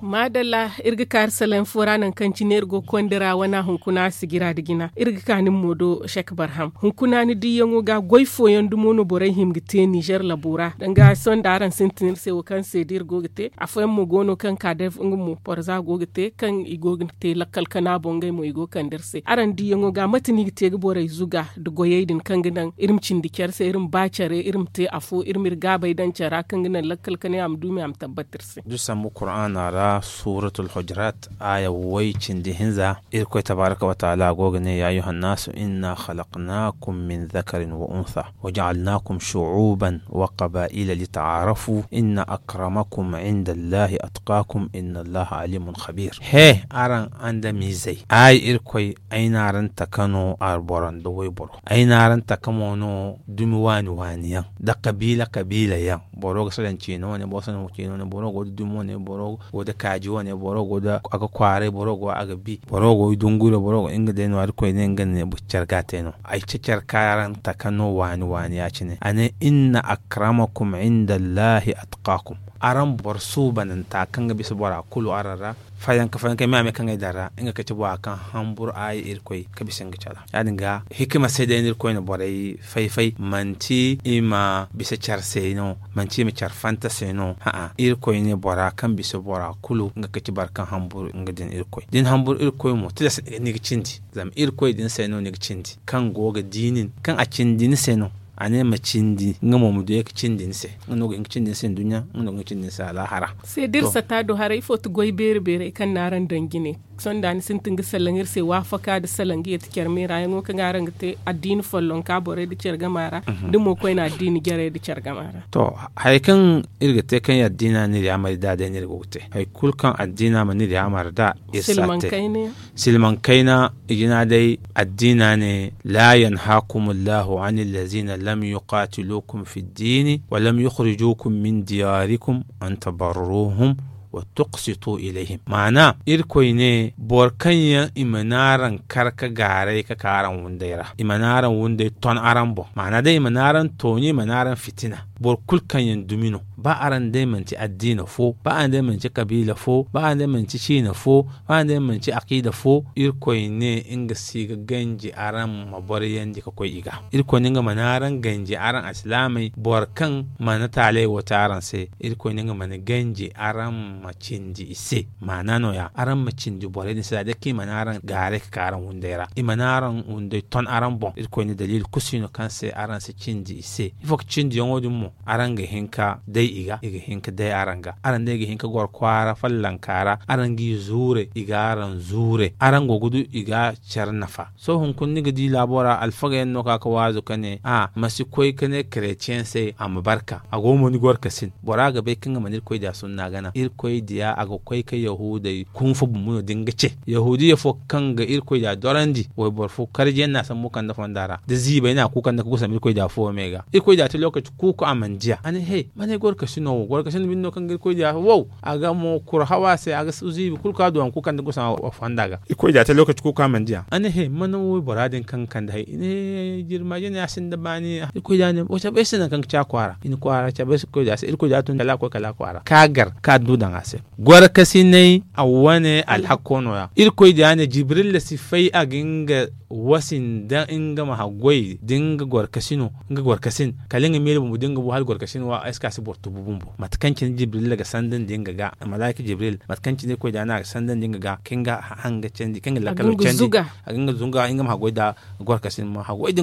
Maadalla, iri ga ka iri salaŋ fo ra nangu kaŋ cine iri go ga konda ra wana hunkuna sigira nda jina iri ga ka nin mo do sek barham. Hunkuna ni diyaŋo ga goy fooyaŋ dumo no borey hima ga te nizer labo ra danga sohõ nda araŋ sintin iri se wo kaŋ se da iri go ga te afooyaŋ mo go no kaŋ ka day nga mo porza go ga te kaŋ i go ga te lakkal kana boŋ ngey mo i go ga kande iri se araŋ diyaŋo ga mate no i ga te ga borey zuga nda goyey din kaŋ ga naŋ iri ma cindi care se iri ma ba care iri ma te afo iri ma iri gaabey daŋ care ra kaŋ ga naŋ lakkal kanay a ma du me a ma tabbat iri se. Da sambu kuraana ra suratul hujurat aaya way cindi hinza. Irkoy tabaaraka wa taala go ga ne ya ayyuhan naasu inna khalaqnaakum min zakarin wa untha wa ja'alnaakum shu'uuban wa qabaa'ila li ta'aarafu inna akramakum inda allahi atqaakum inna allaha aliimun khabiir. He araŋ andamiizey ay irkoy ay n'araŋ taka no alboro nda wayboro. Ay n'araŋ taka mo no dumi waani waani yaŋ nda kabiila kabiila yaŋ. Boro ga salaŋ ciine wane boro salaŋ ciine wane boro go da dumi wane boro go da kaaji wane boro go da a ga kwaaray boro go a ga bi boro go da dunguro boro go nga day no irkoy ne nga ne care ga te no. Ay ce care kaŋ araŋ taka no waani waani ya- cine a ne inna akramakum inda allahi atqaakum. Araŋ boro suubananta kaŋ ga bisa bora kulu araŋ ra fayanka fayanka me a me kaŋ ay daŋ ra nga ga ci bora kaŋ hamburu aayi irkoy ga bisa nga care. Ya- din ga hikima se day no irkoy na borey fay fay manti i ma bisa care se no manti i ma care fanta se no. A'a, irkoy ne bora kaŋ bisa bora kulu nga ga ci boro kaŋ hamburu nga din irkoy da ni hamburu irkoy mo tilas ni ga cindi. Zama irkoy din se no ni ga cindi kaŋ go ga di nin kaŋ a cindi ni se no. A ne ma cindi nga mo ma du ye ga cindi ni se. Nga no ga hin ga cindi ni se nduɲɲa nga no ga hin ga cindi ni se alaahara. Se da iri sata do haray ifo ti goy beeri beerey kaŋ n'araŋ daŋ jine sohõ da ni sintin ga salaŋ iri se waafaka nda salaŋ ga ye ti care meera yaŋo kaŋ araŋ ga te addiini follonka borey nda care gama ra. Da mo koyne addiini jarey nda care gama ra. To, hari kaŋ iri ga te kaŋ addiina n'iri yaamar nd'a day no iri go ga te hari kulu kaŋ addiina mana iri yaamar nd'a iri si a te. Silmaŋ kayna i jina day addiina ne, laa yanhaakumullahu anillazina lam yuqaatiluukum fiddiini wa lam yukhrijuukum min diyaarikum an tabarruuhum wa tuqsituu ilayhim. Maana irkoy ne boro kaŋ yaŋ i mana araŋ kar ka gaaray ka ka araŋ wunday ra i mana araŋ wunday ton araŋ boŋ maana day i mana araŋ tooni i mana araŋ fitina. Boro kulu kaŋ yaŋ dumi no ba araŋ day manti addiina fo ba araŋ day manti kabiila fo ba araŋ day manti ciina fo ba araŋ day manti akiida fo. Irkoy ne nga si ga ganji araŋ ma boriyandi ka koy i ga. Irkoy ne nga mana araŋ ganji araŋ alsilaamey boro kaŋ mana taaley wo te araŋ se. Irkoy ne nga mana ganji araŋ ma cindi i se. Maana nooya araŋ ma cindi borey din se za day kaŋ i mana araŋ gaaray ka ka araŋ wunday ra i mana araŋ wunday ton araŋ boŋ irkoy ne daliili kulu si no kaŋ se araŋ si cindi i se. Ifo ga cindiyaŋo din mo? Araŋ ga hin ka day i ga i ga hin ka day araŋ ga araŋ day ga hin ka goro kwaara fallanka ra araŋ g'i zuure i ga araŋ zuure araŋ go ga du i ga care nafa. Sohõ hunkuna ni ga di laabo ra alfaga yaŋ no ka ga waazu ka ne a ma si koy ka ne karetiyeŋ se a ma barka a go mo ni goro ka sin bora ga bay kaŋ ga mana irkoy diya sunna gana irkoy diya a ga koy ka yahuudey kunfa bumbu no da nga ce yahuudiya fo kaŋ ga irkoy diya dorandi wayboro fo karjiyaŋ no a sambu kande fonda ra da ziibay no a ga ku kande ka gusam irkoy diya fuwo me ga irkoy diya te lokaci kuuku a mana diya a ne he mana ay goro ka sino wo goro ka sino binde no kaŋ ga irkoy diya wow a ga mo kuru haw a se a ga ziibi kulu kaŋ a du a ma ku kande gusam a fonda ga irkoy diya te lokaci kuuku a mana diya a ne he mana waybora din kaŋ ga kande hay i ne jirmaje ne a sinda baani irkoy diya ne wo cabe ay se nangu kaŋ ga ci a kwaara i na kwaara cabe ay se irkoy diya se irkoy diya tun kala a koy kala a kwaara ka gar ka du daŋ a se. Gorkasinay a wane alhakko no- ya irkoy diya ne jibrilla si fay a ga nga wasi nda nga ma haggoy da nga gorkasino nga gorkasin kala nga miila bumbo da nga bu hala gorkasin wa ay si ka si boro tubu bumbo mate kaŋ cine jibrilla ga sanda nda nga ga malaika jibril mate kaŋ cine irkoy diya ne a ga sanda nda nga ga kaŋ ga hanga candi kaŋ ga lakkalo candi a ga nga zunga nga ma haggoy da gorkasin ma haggoy da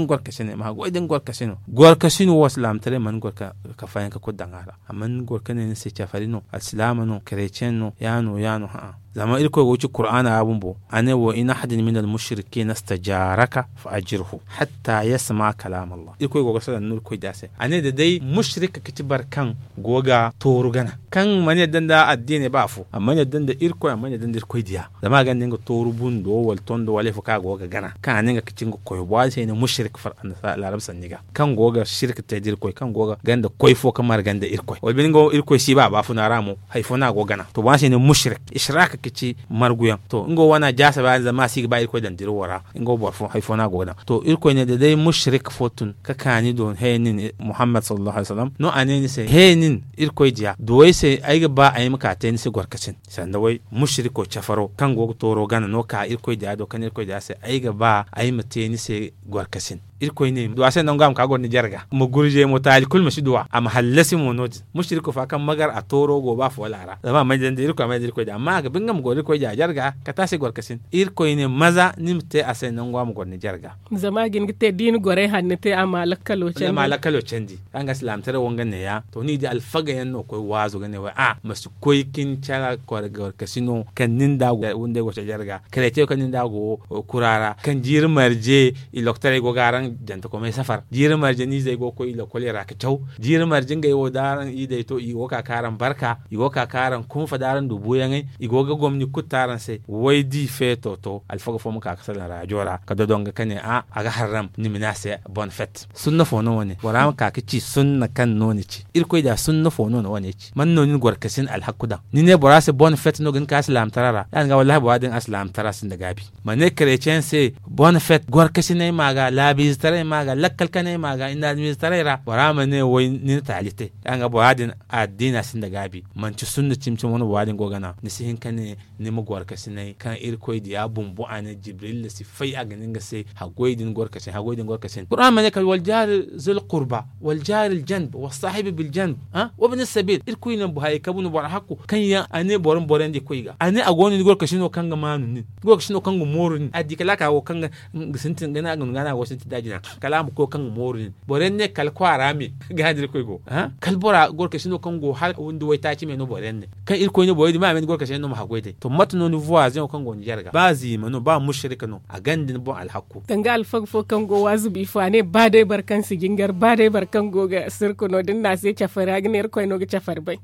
nga gorkasino gorkasin wo silaamataray mana goro ka fayanka kulu daŋ a ra a mana goro ka ne ni se cafari no alsilaama no karetiyeŋ no ya no ya no ha'a zama irkoy go ga ci kuraana ra bumbo a ne wa in ahadin min almushrikiina stajaaraka fa ajirhu hatta yasma'a kalaama allah irkoy go ga salaŋ no irkoy diya se a ne da day mushrik ka ci boro kaŋ go ga tooru gana kaŋ mana yadda nda addiiney ba afo a mana yadda nda irkoy a mana yadda nda irkoy diya zama a gonda nga tooru bundo wala tondo wala ifo kaŋ a go ga gana kaŋ a ne nga ga ci nga koyo boŋ a se i ne mushrik laarab sanni ga kaŋ go ga sirka te da irkoy kaŋ go ga ganda koy fo ka marga nda irkoy wala bine nga wo irkoy si ba a baafuna ra mo hari fo no a go ga gana to boŋ a se i ne mushrik ishraaka ga ci marguyaŋ to nga wo wane a jaasa ba zama a si ga ba irkoy daŋ dira wo ra nga wo boro fo hari fo no a go ga daŋ to irkoy ne da day mushrik fo tun ka kaani do haya nin muhammad sallallahu alaihi wasallam no a ne ni se haya nin irkoy diya duw'ay se ay ga ba ay ma ka te ni se gorkasin sanda way mushriko cafaro kaŋ go ga tooro gana no ka irkoy diya do kaŋ irkoy diya se ay ga ba ay ma te ni se gorkasin irkoy ne duwa se nangu a ma ka goro ni jarga ma gurje mo taali kulu ma si duwa a ma hallasi mo no- din mushriko fa kaŋ magar a tooro go ba foola ra zama a may dandi irkoy a may dandi irkoy diya amma a ga bi nga ma goro irkoy diya jarga kate a se gorkasin irkoy ne maza ni ma te a se nangu a ma goro ni jarga zama a ga hin ga te da i na gorey hanno te a ma lakkalo candi a ma lakkalo candi kaŋ ga silaamataray wo nga neeya to ni di alfaga yaŋ no koy waazo ga ne way a ma si koy ka ni cara gorkasino kaŋ ni nda go wunday go candi jarga kareetiyo kaŋ ni nda go kura ra kaŋ jiiri marje i loktorey go ga araŋ jantakomey safar jiiri marje ni izey go ga koy i lokoley ra ga caw jiiri marje ngey wo da araŋ iidey to i go ga ka ka araŋ barka i go ga ka ka araŋ kunfa da araŋ du buuyaŋey i go ga gomni kulu te araŋ se way di feeto to alfaga fo ma ka ga salaŋ raajo ra ga dodonga ka ne a a ga harram ni ma ne a se bonne fête sunna fo no wane bora ma ka ga ci sunna kaŋ no ni ci irkoy da sunna fo no ni wane ci man no ni na gorkasin alhakku daŋ ni ne bora se bonne fête no ga ni ka alsilaamtara ra ya ni ga wallahi bora din alsilaamtara sinda gaabi ma ne karetiyeŋ se bonne fête gorkasiney ma ga laabiizetaray ma ga lakkal kaney ma ga inadamiizetaray ra bora ma ne way ni na taali te ya ni ga bora din addiina sinda gaabi manci sunna cimi-cimi wane bora din go gana ni si hin ka ne ni ma gorkasinay kaŋ irkoy diya bumbo a ne jibrilla si fay a ga ne nga se haggoy din gorkasin haggoy din gorkasin qur'an ma ne kala wal jaari zil qurba wal jaari aljanb wal saahibi bil janb wa bini sabil irkoy ne hayey kabu no boro hakku kaŋ yaŋ a ne boro ma boro yaŋ di koy ga a ne a go no ni gorkasino kaŋ ga maanu nin gorkasino kaŋ ga mooru nin a di kala a ka go kaŋ ga sintin ga na go sintin da jina kala a ma koy kaŋ ga mooru nin boro yaŋ ne kala kwaara me ga handi irkoy go kala bora gorkasino kaŋ go hala windi waytaaci me no boro yaŋ ne kaŋ irkoy ne borey din ma a me ni gorkasino no ma haggoy day to mate no ni voisin wo kaŋ go ni jarga ba ziima no ba mushrika no a ganda ni boŋ alhakku danga alfaga fo kaŋ go waazu bi fo a ne ba day boro kaŋ si jingar ba day boro kaŋ go ga sirku no da ni na a se cafari a ga ne irkoy no ga cafari bay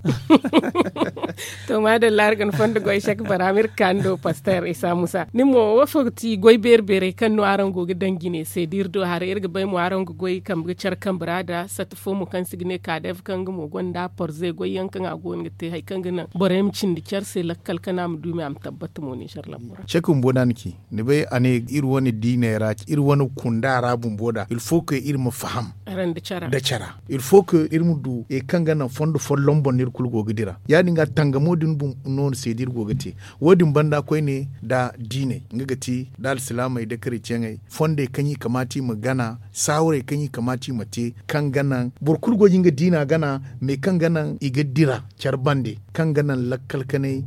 to maadalla araŋ ga ni fondo goy sek bara ma iri ga ka ni do pastor isa musa ni mo wo fo ga ti goy beeri beerey kaŋ no araŋ go ga daŋ jine se da iri do haray iri ga bay mo araŋ ga goy kambe ga care kambe ra da sata fo mo kaŋ si ga ne kadev kaŋ nga mo gonda porze goy yaŋ kaŋ a go no ga te hari kaŋ ga naŋ borey ma cindi care se lakkal kana a ma du me a ma tabbata mo ni care lambura cek bumbo no a na ci ni bay a ne iri wane diiney ra iri wane kunda ra bumbo da ilfo ke iri ma faham nda cara ilfo ke iri ma du hari kaŋ ga naŋ fondo folloŋ boŋ no iri kulu go ga dira ya- din ga Nga mo din bumbo no ni se da iri go ga te. Wo- din banda koyne nda diiney nga ga ti nda alsilaamey nda kareceŋey fondey kaŋ i kamaata i ma gana saawarey kaŋ i kamaata i ma te, kaŋ ga naŋ boro kulu go ga nga diina gana, mais kaŋ ga naŋ i ga dira care bande, kaŋ ga naŋ lakkal kanay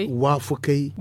waafakey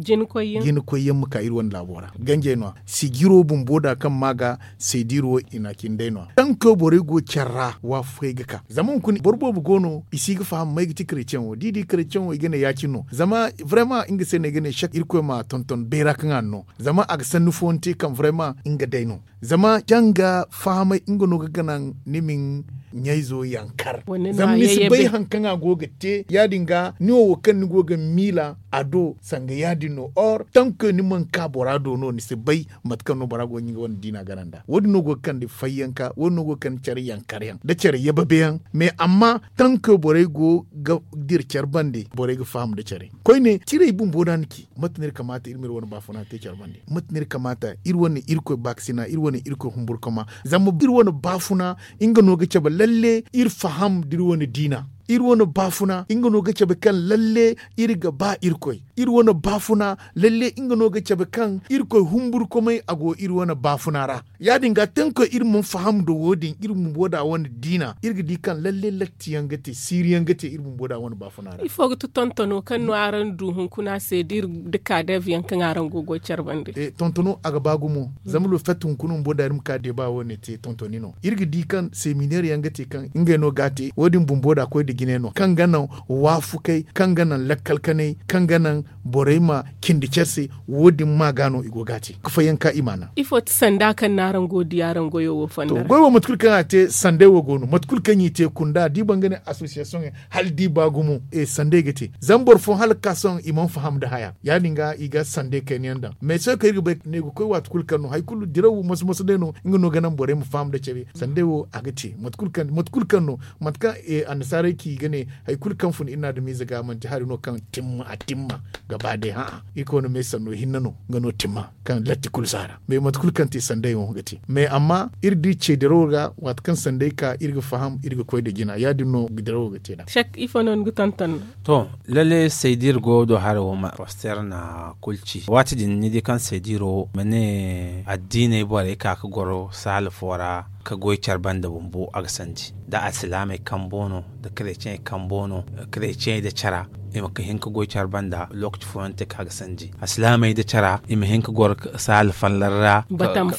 jinkoy yaŋ ma ka iri wane laabo ra. Ganjey no- ya sijiro bumbo da kaŋ ma ga seediiro i na a cindi day no- ya tanko borey go care ra waafakey ga ka zama hunkuna boro boobo go no i si ga faham may ga ti kareceŋo da i di kareceŋo i ga ne ya- cine no zama, vraiment nga se no ay ga ne sek irkoy ma tonton bayra kaŋ a na no. Zama a ga sanni fooyaŋ te kaŋ vraiment nga day no. Zama janga fahamay nga no ga ganaŋ ni ma ni ɲayzo yankar. Zama ni si bay hari kaŋ a go ga te ya- din ga ni wo wo kaŋ ni go ga miila a do sanga ya- din no or tanko ni mana ka bora do no ni si bay mate kaŋ no bora go ga nga wane diina gana nd'a wo- din no go ga kande fayyanka wo- din no go ga kande care yankar yaŋ nda care yababe yaŋ. Mais amma tanko borey go ga dira care bande borey ga faham nda care koyne tirey bumbo da ni ci mate no iri kamaata iri ma iri wane baafuna te care bande mate no iri kamaata iri wane irkoy baakasina iri wane irkoy humburkama. Zama iri wane baafuna nga no ga cabe lalle iri faham nda iri wane diina. Iri wane baafuna nga no ga cabe kaŋ lalle iri ga ba irkoy. Iri wane baafuna lalle nga no ga cabe kaŋ irkoy humburkomey a go iri wane baafuna ra. Ya- din ga tanko iri mana faham nda wo- din iri bumbo da wane diina iri ga di kaŋ lalle latti yaŋ ga te siiri yaŋ ga te iri bumbo da wane baafuna ra. Ifo ga ti tontono kaŋ no araŋ du hunkuna se da iri da kaadeeb yaŋ kaŋ araŋ go ga goy care bande? Tontono a ga ba gumo zama lofet hunkuna bumbo da iri ma ka deeba wo- ne te tontoni no iri ga di kaŋ seminaire yaŋ ga te kaŋ ngey no ga a te wo- din bumbo da koy nda jine no kaŋ ga naŋ waafukay kaŋ ga naŋ lakkal kanay kaŋ ga naŋ borey ma cindi care se. Wo- din ma ga no i go ga a te ga fayyanka i ma a naŋ. Ifo ti sanda kaŋ no araŋ go ga di araŋ goyo wo fonda ra? Goy wo mate kulu kaŋ a te sanday wo go no mate kulu kaŋ i te kunda da i ba nga ne association hala da i ba gumo sanday ga te. Zama boro fooyaŋ hala ga ka sohõ i mana faham nda haya ya- din ga i ga sanday kayna yaŋ daŋ mais sohõ kaŋ iri ga bay ne ga koy waati kulu kaŋ no hari kulu diraw moso moso day no nga no ga naŋ borey ma faham nda care sanday wo a ga te mate kulu kaŋ no mate kaŋ annasaarey ci ga ne hari kulu kaŋ fun iri na adamiize ga manti hari no kaŋ timma a timma gaba day hã'a iri koy no me sanno hinne no nga no timma kaŋ latti kulu si a ra mais mate kulu kaŋ te sanday wo ga te mais amma iri di ce dirawo ga waati kaŋ sanday ka iri ga faham iri ga koy nda jina ya- din no dirawo ga te nd'a. Sek ifo no ni ga tonton? To, lalle saydiir go do hare wo ma poster na kulu ci waati din ni di kaŋ saydiiro ma ne addiiney borey ka ga goro saala fo ra ka goy care banda bumbo a ga sandi da alsilaamey kambo no da kareeciyaŋey kambo no kareeciyaŋey da cara i ma hin ka goy care banda lookaci fooyaŋ te kaŋ a ga sandi alsilaamey da cara i ma hin ka goro saala fallar ra batan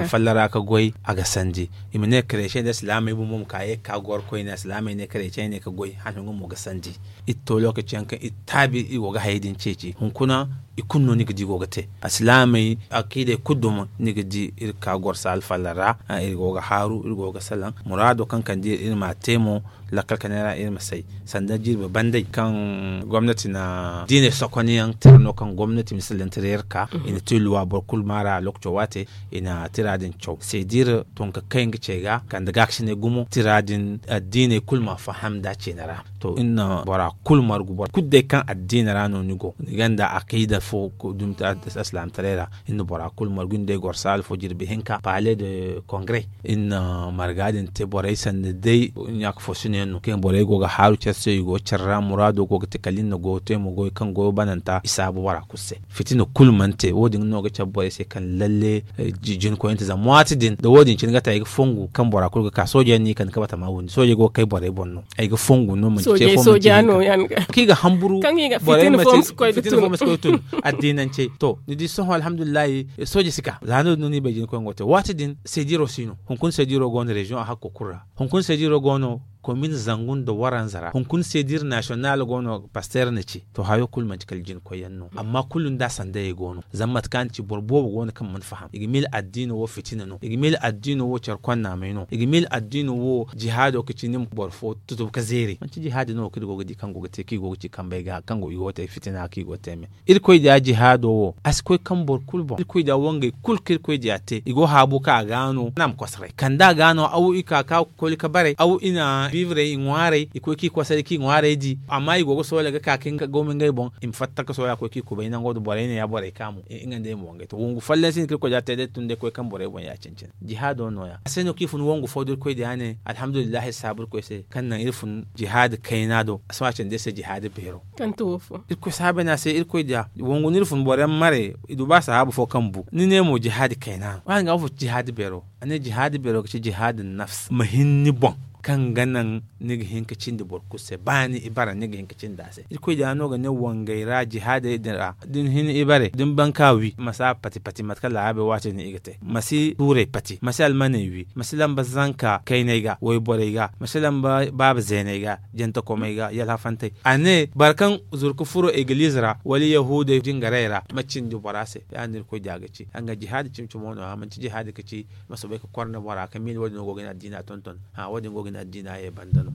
fallar ra ka goy a ga sandi. I ma ne kareeciyaŋey da alsilaamey bumbo ma ka ye ga ka goro koyne alsilaamey ne kareeciyaŋey ne ka goy hala nga mo ga sandi. Iri to lookaci yaŋ kaŋ iri taabi iri go ga hayey din ceeci hunkuna i kulu no ni ga di go ga te alsilaamey akiidey kulu duma ni ga di iri ga ka goro saala fallar ra. Iri go ga haaru iri go ga salaŋ muraado kaŋ kande iri iri ma a te mo lakkal kanay ra iri ma say sanda jirbi banday kaŋ gomnati na diiney sokoniyaŋ tira no kaŋ gomnati ma sallantira iri ga ka i na te luwa boro kulu maara lookaco waate i na tira din caw seediir tun ka kay nga ce ga kande gaakasinay gumo tira din addiiney kulu ma faham nda ceene ra. To iri na bora kulu margu boro kulu day kaŋ addiina ra no ni go ni gonda akiida fo dumi alsilaamataray ra iri na bora kulu margu iri na day goro saala fo jirbi hinka palais de congrès iri na marga din te borey sanda day ɲaaka fo sino yaŋ no kaŋ borey go ga haaru care se i go care ra muraado go ga te kala iri na goyo te mo goyo kaŋ goyo bananta i saabu bora kulu se fitina kulu mana te wo- din no ga cabe borey se kaŋ lalle jina koyante zama waati din da wo- din cine ga te ay ga fongu kaŋ bora kulu ga ka sooje yaŋ no i kande ga batama windi sooje go ga kay borey boŋ no ay ga fongu no manti ce fo manti hinka kaŋ i ga hamburu borey ma te fitina fo ma si koy ga tun addiinancey to ni di sohõ alhamdulillahi sooje si ka za no- din no no i bay jina koyaŋ go ga te waati din seediiro si no hunkuna seediiro go no région a hakko kulu ra hunkuna seediiro go no komin zangu nda waranza ra hunkuna seediir nasiyonal go no pasteer na ci to hayo kulu manti kala jina koyyaŋ no amma kulu nda sandayey go no zama mate kaŋ a na ci boro boobo go no kaŋ mana faham i ga miila addiino wo fitina no i ga miila addiino wo care konnaamey no i ga miila addiino wo jihaado ka ci ni ma boro fo tutubu ka zeeri manti jihaadi no kaŋ iri go ga di kaŋ go ga te kaŋ i go ga ci kambey ga kaŋ i go ga te fitina kaŋ i go ga te me irkoy diya jihaado wo a si koy kaŋ boro kulu boŋ irkoy diya wangey kulu kaŋ irkoy diya te i go haabu kaŋ a ga no naama kosoray kanda a ga no aw i ka ka koli ka baray aw i na biibrey i ŋwaaray i koy k'i kwasay k'i ŋwaaray di amma i go ga soola ga ka ka nga gooma ngey boŋ. I ma fatta ka soola koy k'i kubay nango da borey ne ya borey kaamu. Nga nda i ma wangay to wongu folloŋ se no kaŋ irkoy da te day tun day koy kaŋ borey boŋ ya cine-cine jihaado no- ya a se no kaŋ i fun wongu fo da irkoy da ya ne alhamdulillahi saabu irkoy se kaŋ naŋ iri fun jihaadi kayna do a si ma cindi iri se jihaadi beero. Irkoy saabe no a se irkoy da wongu no iri fun boro yaŋ mare i du ba sahaabu fo kaŋ bu ni ne mo jihaadi kayna no a ne jihaadi beero ga ci jihaadi nafs ma hin ni boŋ kaŋ ga naŋ ni ga hin ka cindi boro kulu se ba ni ibare ni ga hin ka cindi a se irkoy da no ga ne wangay ra jihaadey din ra da ni hin ibare da ni ban ka wi ma si a pati pati mate kaŋ laabey waati din i ga te ma si tuurey pati ma si almaney wi ma si lamba zanka kayney ga wayborey ga ma si lamba baaba zeeney ga jantakomey ga yalhafantey a ne boro kaŋ zuru ka furo egiliize ra wala yahuudey jingarey ra ma cindi bora se ya- din no irkoy da ga ci a nga jihaadi cimi-cimo no- ya manti jihaadi ka ci ma soobay ka korne bora ka miila wo- din no go ga ni addiina tonton. Wo- din go ga ni addiina ye banda no.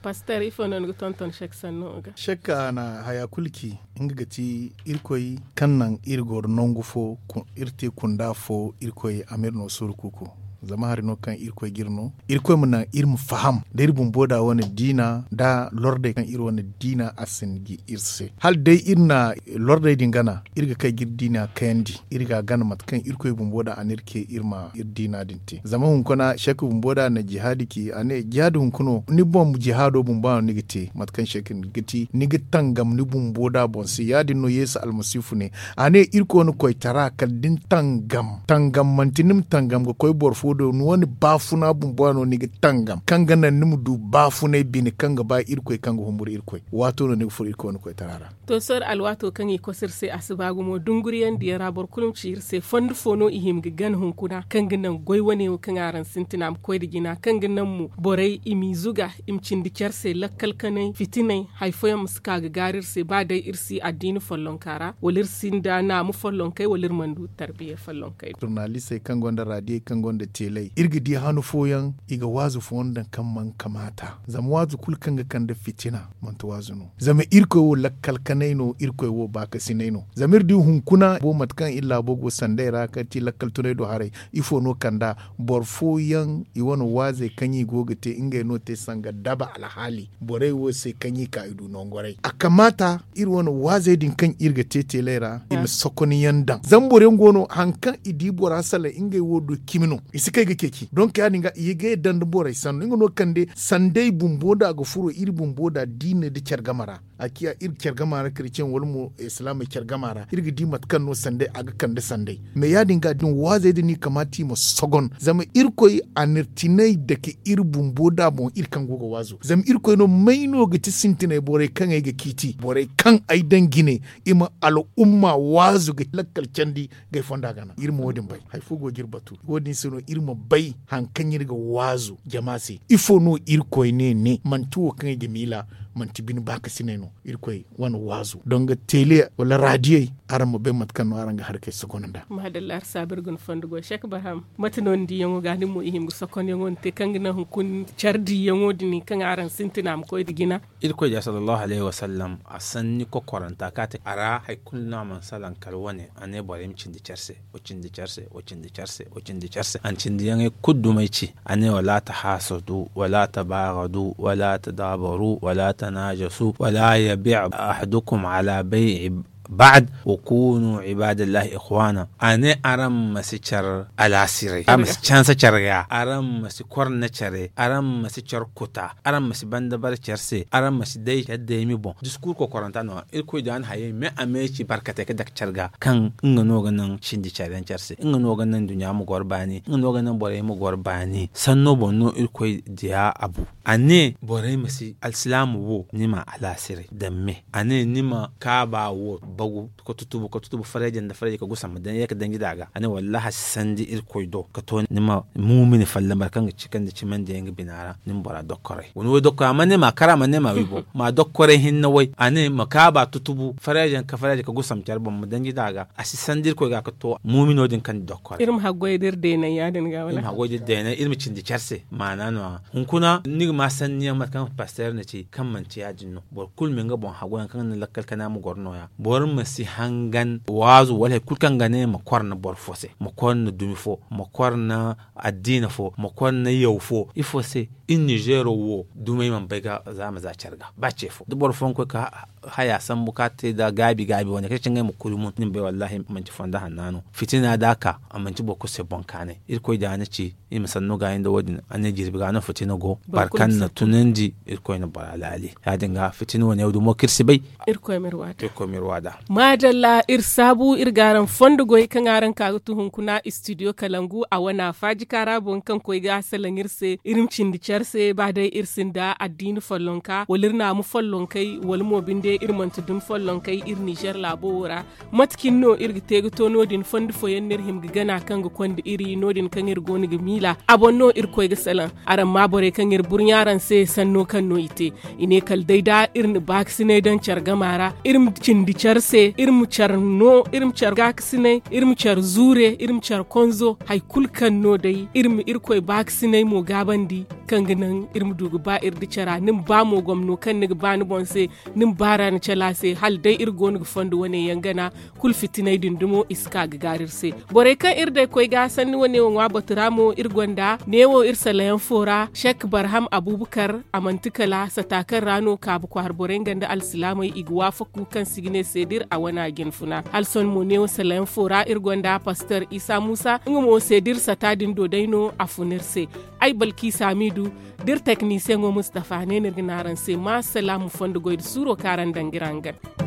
Paster ifo no ni ga tonton sek sanno ga? Sek a na haya kulu ci nga ga ti irkoy kaŋ naŋ iri goro nangu fo iri te kunda fo irkoy a ma iri no suuru kuuku. Zama hari no kaŋ irkoy ga iri no irkoy ma naŋ iri ma faham da iri bumbo da wane diina da lordey kaŋ iri wane diina a sinda ga iri se hala day iri na lordey din gana iri ga kay ga iri diina kayandi iri ga a gana mate kaŋ irkoy bumbo da a na iri ce iri ma iri diina din te zama hunkuna sek bumbo da a na jihaadi ci a ne jihaadi hunkuna ni boŋ jihaado bumbo a no ni ga te mate kaŋ sek ga ti ni ga tangam ni bumbo da boŋ se ya- din no yeesu almasiifu ne a ne irkoy na koytara kala da ni tangam tangam manti ni ma tangam ga koy boro fo do ni wane baafuna bumbo a no ni ga tangam kaŋ ga naŋ ni ma du baafunay bine kaŋ ga ba irkoy kaŋ ga humburu irkoy waato no ni ga furo irkoy wane koytara ra. To sohõ alwaato kaŋ i koso iri se a si ba gumo dunguriyaŋ diyaŋ ra boro kulu ma ci iri se fondo fo no i hima ga gana hunkuna kaŋ ga naŋ goy wane wo kaŋ araŋ sintina ma koy nda jina kaŋ ga naŋ mo borey i m'i zuga i ma cindi care se lakkal kanay fitinay hari fooyaŋ ma si ka ga gaaru iri se ba day iri si addiina follonka ra wala iri sinda naamu follonkey wala iri mana du tarbiya follonkey do. Surnalistey kaŋ gonda raadiyey kaŋ gonda teeley iri ga di hanu fooyaŋ i ga waazu fooyaŋ daŋ kaŋ mana kamaata zama waazu kulu kaŋ ga kande fitina manti waazu no zama irkoy wo lakkal kanay no irkoy wo baakasinay no zama iri di hunkuna bo mate kaŋ iri laabo go sanday ra kaŋ ti lakkal tunay do haray ifo no kand'a boro fooyaŋ i wane waazey kaŋ i go ga te ngey no te sanga daba alhaali borey wo se kaŋ i ka i du nongoray a kamaata iri wane waazey din kaŋ iri ga te teelay ra i ma sokoniyaŋ daŋ zama boro yaŋ go no hari kaŋ i di bora salaŋ ngey wo do cimi no i si kay ga ceeci donk ya- din ga i ga yadda nda borey sanno nga no kande sanday bumbo da a ga furo iri bumbo da diine nda care game ra a ciya iri care game ra kirisciyaŋ wala mo islaamey care game ra iri ga di mate kaŋ no sanday a ga kande sanday mais ya- din ga din waazey din no i kamaata i ma sogon zama irkoy a na iri tinay dake iri bumbo da boŋ iri kaŋ go ga waazu zama irkoy no may no ga ti sintinay borey kaŋ ay ga ciiti borey kaŋ ay daŋ jine i ma al'umma waazu ga lakkal candi ga ay fonda gana iri ma wo- din bay hari fo go ga iri batu wo- din se no iri ma bay hari kaŋ iri ga waazu jama se ifo no irkoy ne ne manti wo kaŋ ay ga miila manti bine baakasinay no irkoy wane waazu donga teele wala raadiyey araŋ ma bay mate kaŋ no araŋ ga hari kay sokono nd'a. Maadalla iri saabu iri ga ni fondo goy sek barham mate no ni diyaŋo ga nin mo i hima ga sokonyaŋo ni te kaŋ ga naŋ hunkuna care diyaŋo din kaŋ araŋ sintina ma koy nda jina. Irkoy diya sallallahu alayhi wasallam a sanni kokoranta kaŋ a te a ra hari kulu no a mana salaŋ kala wane a ne borey ma cindi care se wa cindi care se wa cindi care se wa cindi care se a na cindiyaŋey kulu dumey ci a ne wala tahaasadu wala tabaagadu wala tadaabaru wala tanaajasu wala yabi' ahadukum ala bay'i ba'd wa kunu ibadallahi ikhwana. A ne araŋ ma si care alaasiray araŋ ma si canse care ga araŋ ma si korne care araŋ ma si care kuta araŋ ma si banda bare care se araŋ ma si day care daymi boŋ diskur kokoranta no-ya irkoy da a na hayey me a me ci barkatey ga dake care ga kaŋ nga no ga naŋ cindi care yaŋ care se nga no ga naŋ duɲɲa ma goro baani nga no ga naŋ borey ma goro baani sanno boŋ no irkoy diya a bu a ne borey ma si alsilaamu wo ni ma alaasiray daŋ me a ne ni ma kaaba wo bagu ka tutubu ka tutubu farayje nda farayje ka gusa ma daŋ ye ka danji da a ga a ne wallahi a si sandi irkoy do ka to ni ma muumini folloŋ boro kaŋ ga ci kaŋ da cimandi yaŋ ga bina ra ni ma bora dokkoray wani way dokkoray a mana ne ma kara a mana ne ma wi boŋ ma dokkoray hinne way a ne ma kaaba tutubu farayje ka farayje ka gusa ma care boŋ ma danji da a ga a si sandi irkoy ga ka to muumino din kaŋ da dokkoray. Iri ma haggoy da iri deenay ya- din ga wala iri ma haggoy da iri deenay iri ma cindi care se maana no- ya hunkuna ni ga ma sanniyaŋ mate kaŋ pasteer na ci kaŋ manti ya- din no boro kulu ma nga boŋ haggoyaŋ kaŋ ga naŋ lakkal kana ma goro no- ya boro Iri ma si hangan waazu wala hari kulu kaŋ ga ne ma kor nda boro fo se, ma kor nda dumi fo, ma kor nda addiina fo, ma kor nda yaw fo. Ifo se? Iri nizeero wo dumey mana bay ga za ma za care ga ba ce fo da boro fooyaŋ koy ka haya sambu ka te nda gaabi gaabi wane kaŋ ci ngey ma kuri mun ni ma bay wallahi manci fondo hanna no. Fitina da a ka a manci boro kulu se boŋ kaanay. Irkoy da a na ci iri ma sanno gaayi nda wo- din a ne jirbi ga no fitina go. Boro kaŋ na tunandi irkoy na bora laali. Ya- din ga fitina wane wo dumo kaŋ iri si bay. Irkoy ma iri waada. Maadalla iri saabu iri ga araŋ fondo goy kaŋ araŋ ka ga tu hunkuna istidiyo kalangu a wane a faaji kaara boŋ kaŋ koy ga salaŋ iri se iri ma cindi care se ba day iri sinda addiini follonka wala iri naamu follonkey wala mo binde iri manti dumi follonkey iri nizer laabo wo ra. Mate cine no iri ga te ga to no- din fondo fooyaŋ no iri hima ga gana kaŋ ga konda iri no- din kaŋ iri go no ga miila a boŋ no iri koy ga salaŋ. Araŋ ma borey kaŋ iri burɲa araŋ se sanno kaŋ no i te. I ne kala day da iri na baakasinay daŋ care gama ra iri ma cindi care se iri ma care no iri ma care gaakasinay iri ma care zuure iri ma care konzo hari kulu kaŋ no day iri ma irkoy baakasinay mo gaabandi kaŋ ga naŋ iri ma du ga ba iri da cara ni ma ba mo gomno kaŋ ni ga ba ni boŋ se. Ni ma ba ra ni cala se hala day iri go no ga fondo wane yaŋ gana. Kulu fitinay din dumo i si ka ga gaari iri se. Borey kaŋ iri day koy ga sanni wane wo ŋwa batu ra mo iri gonda neewo iri salayaŋ fo ra sek barham abubakar a manti kala sata kaŋ ra no kaabu kwaara borey nga nda alsilaamey i ga waafaku kaŋ si ga ne se da iri a wana jinfuna hala sohõ mo neewo salayaŋ fo ra iri gonda paster isa muusa nga mo se da iri sata din do day no a fun iri se. Ay balki saamiidu da iri teknisiyeŋo mustafa ne no iri ga ne araŋ se ma salaamu fondo goy nda suuro kaŋ araŋ daŋ ga iri hangan.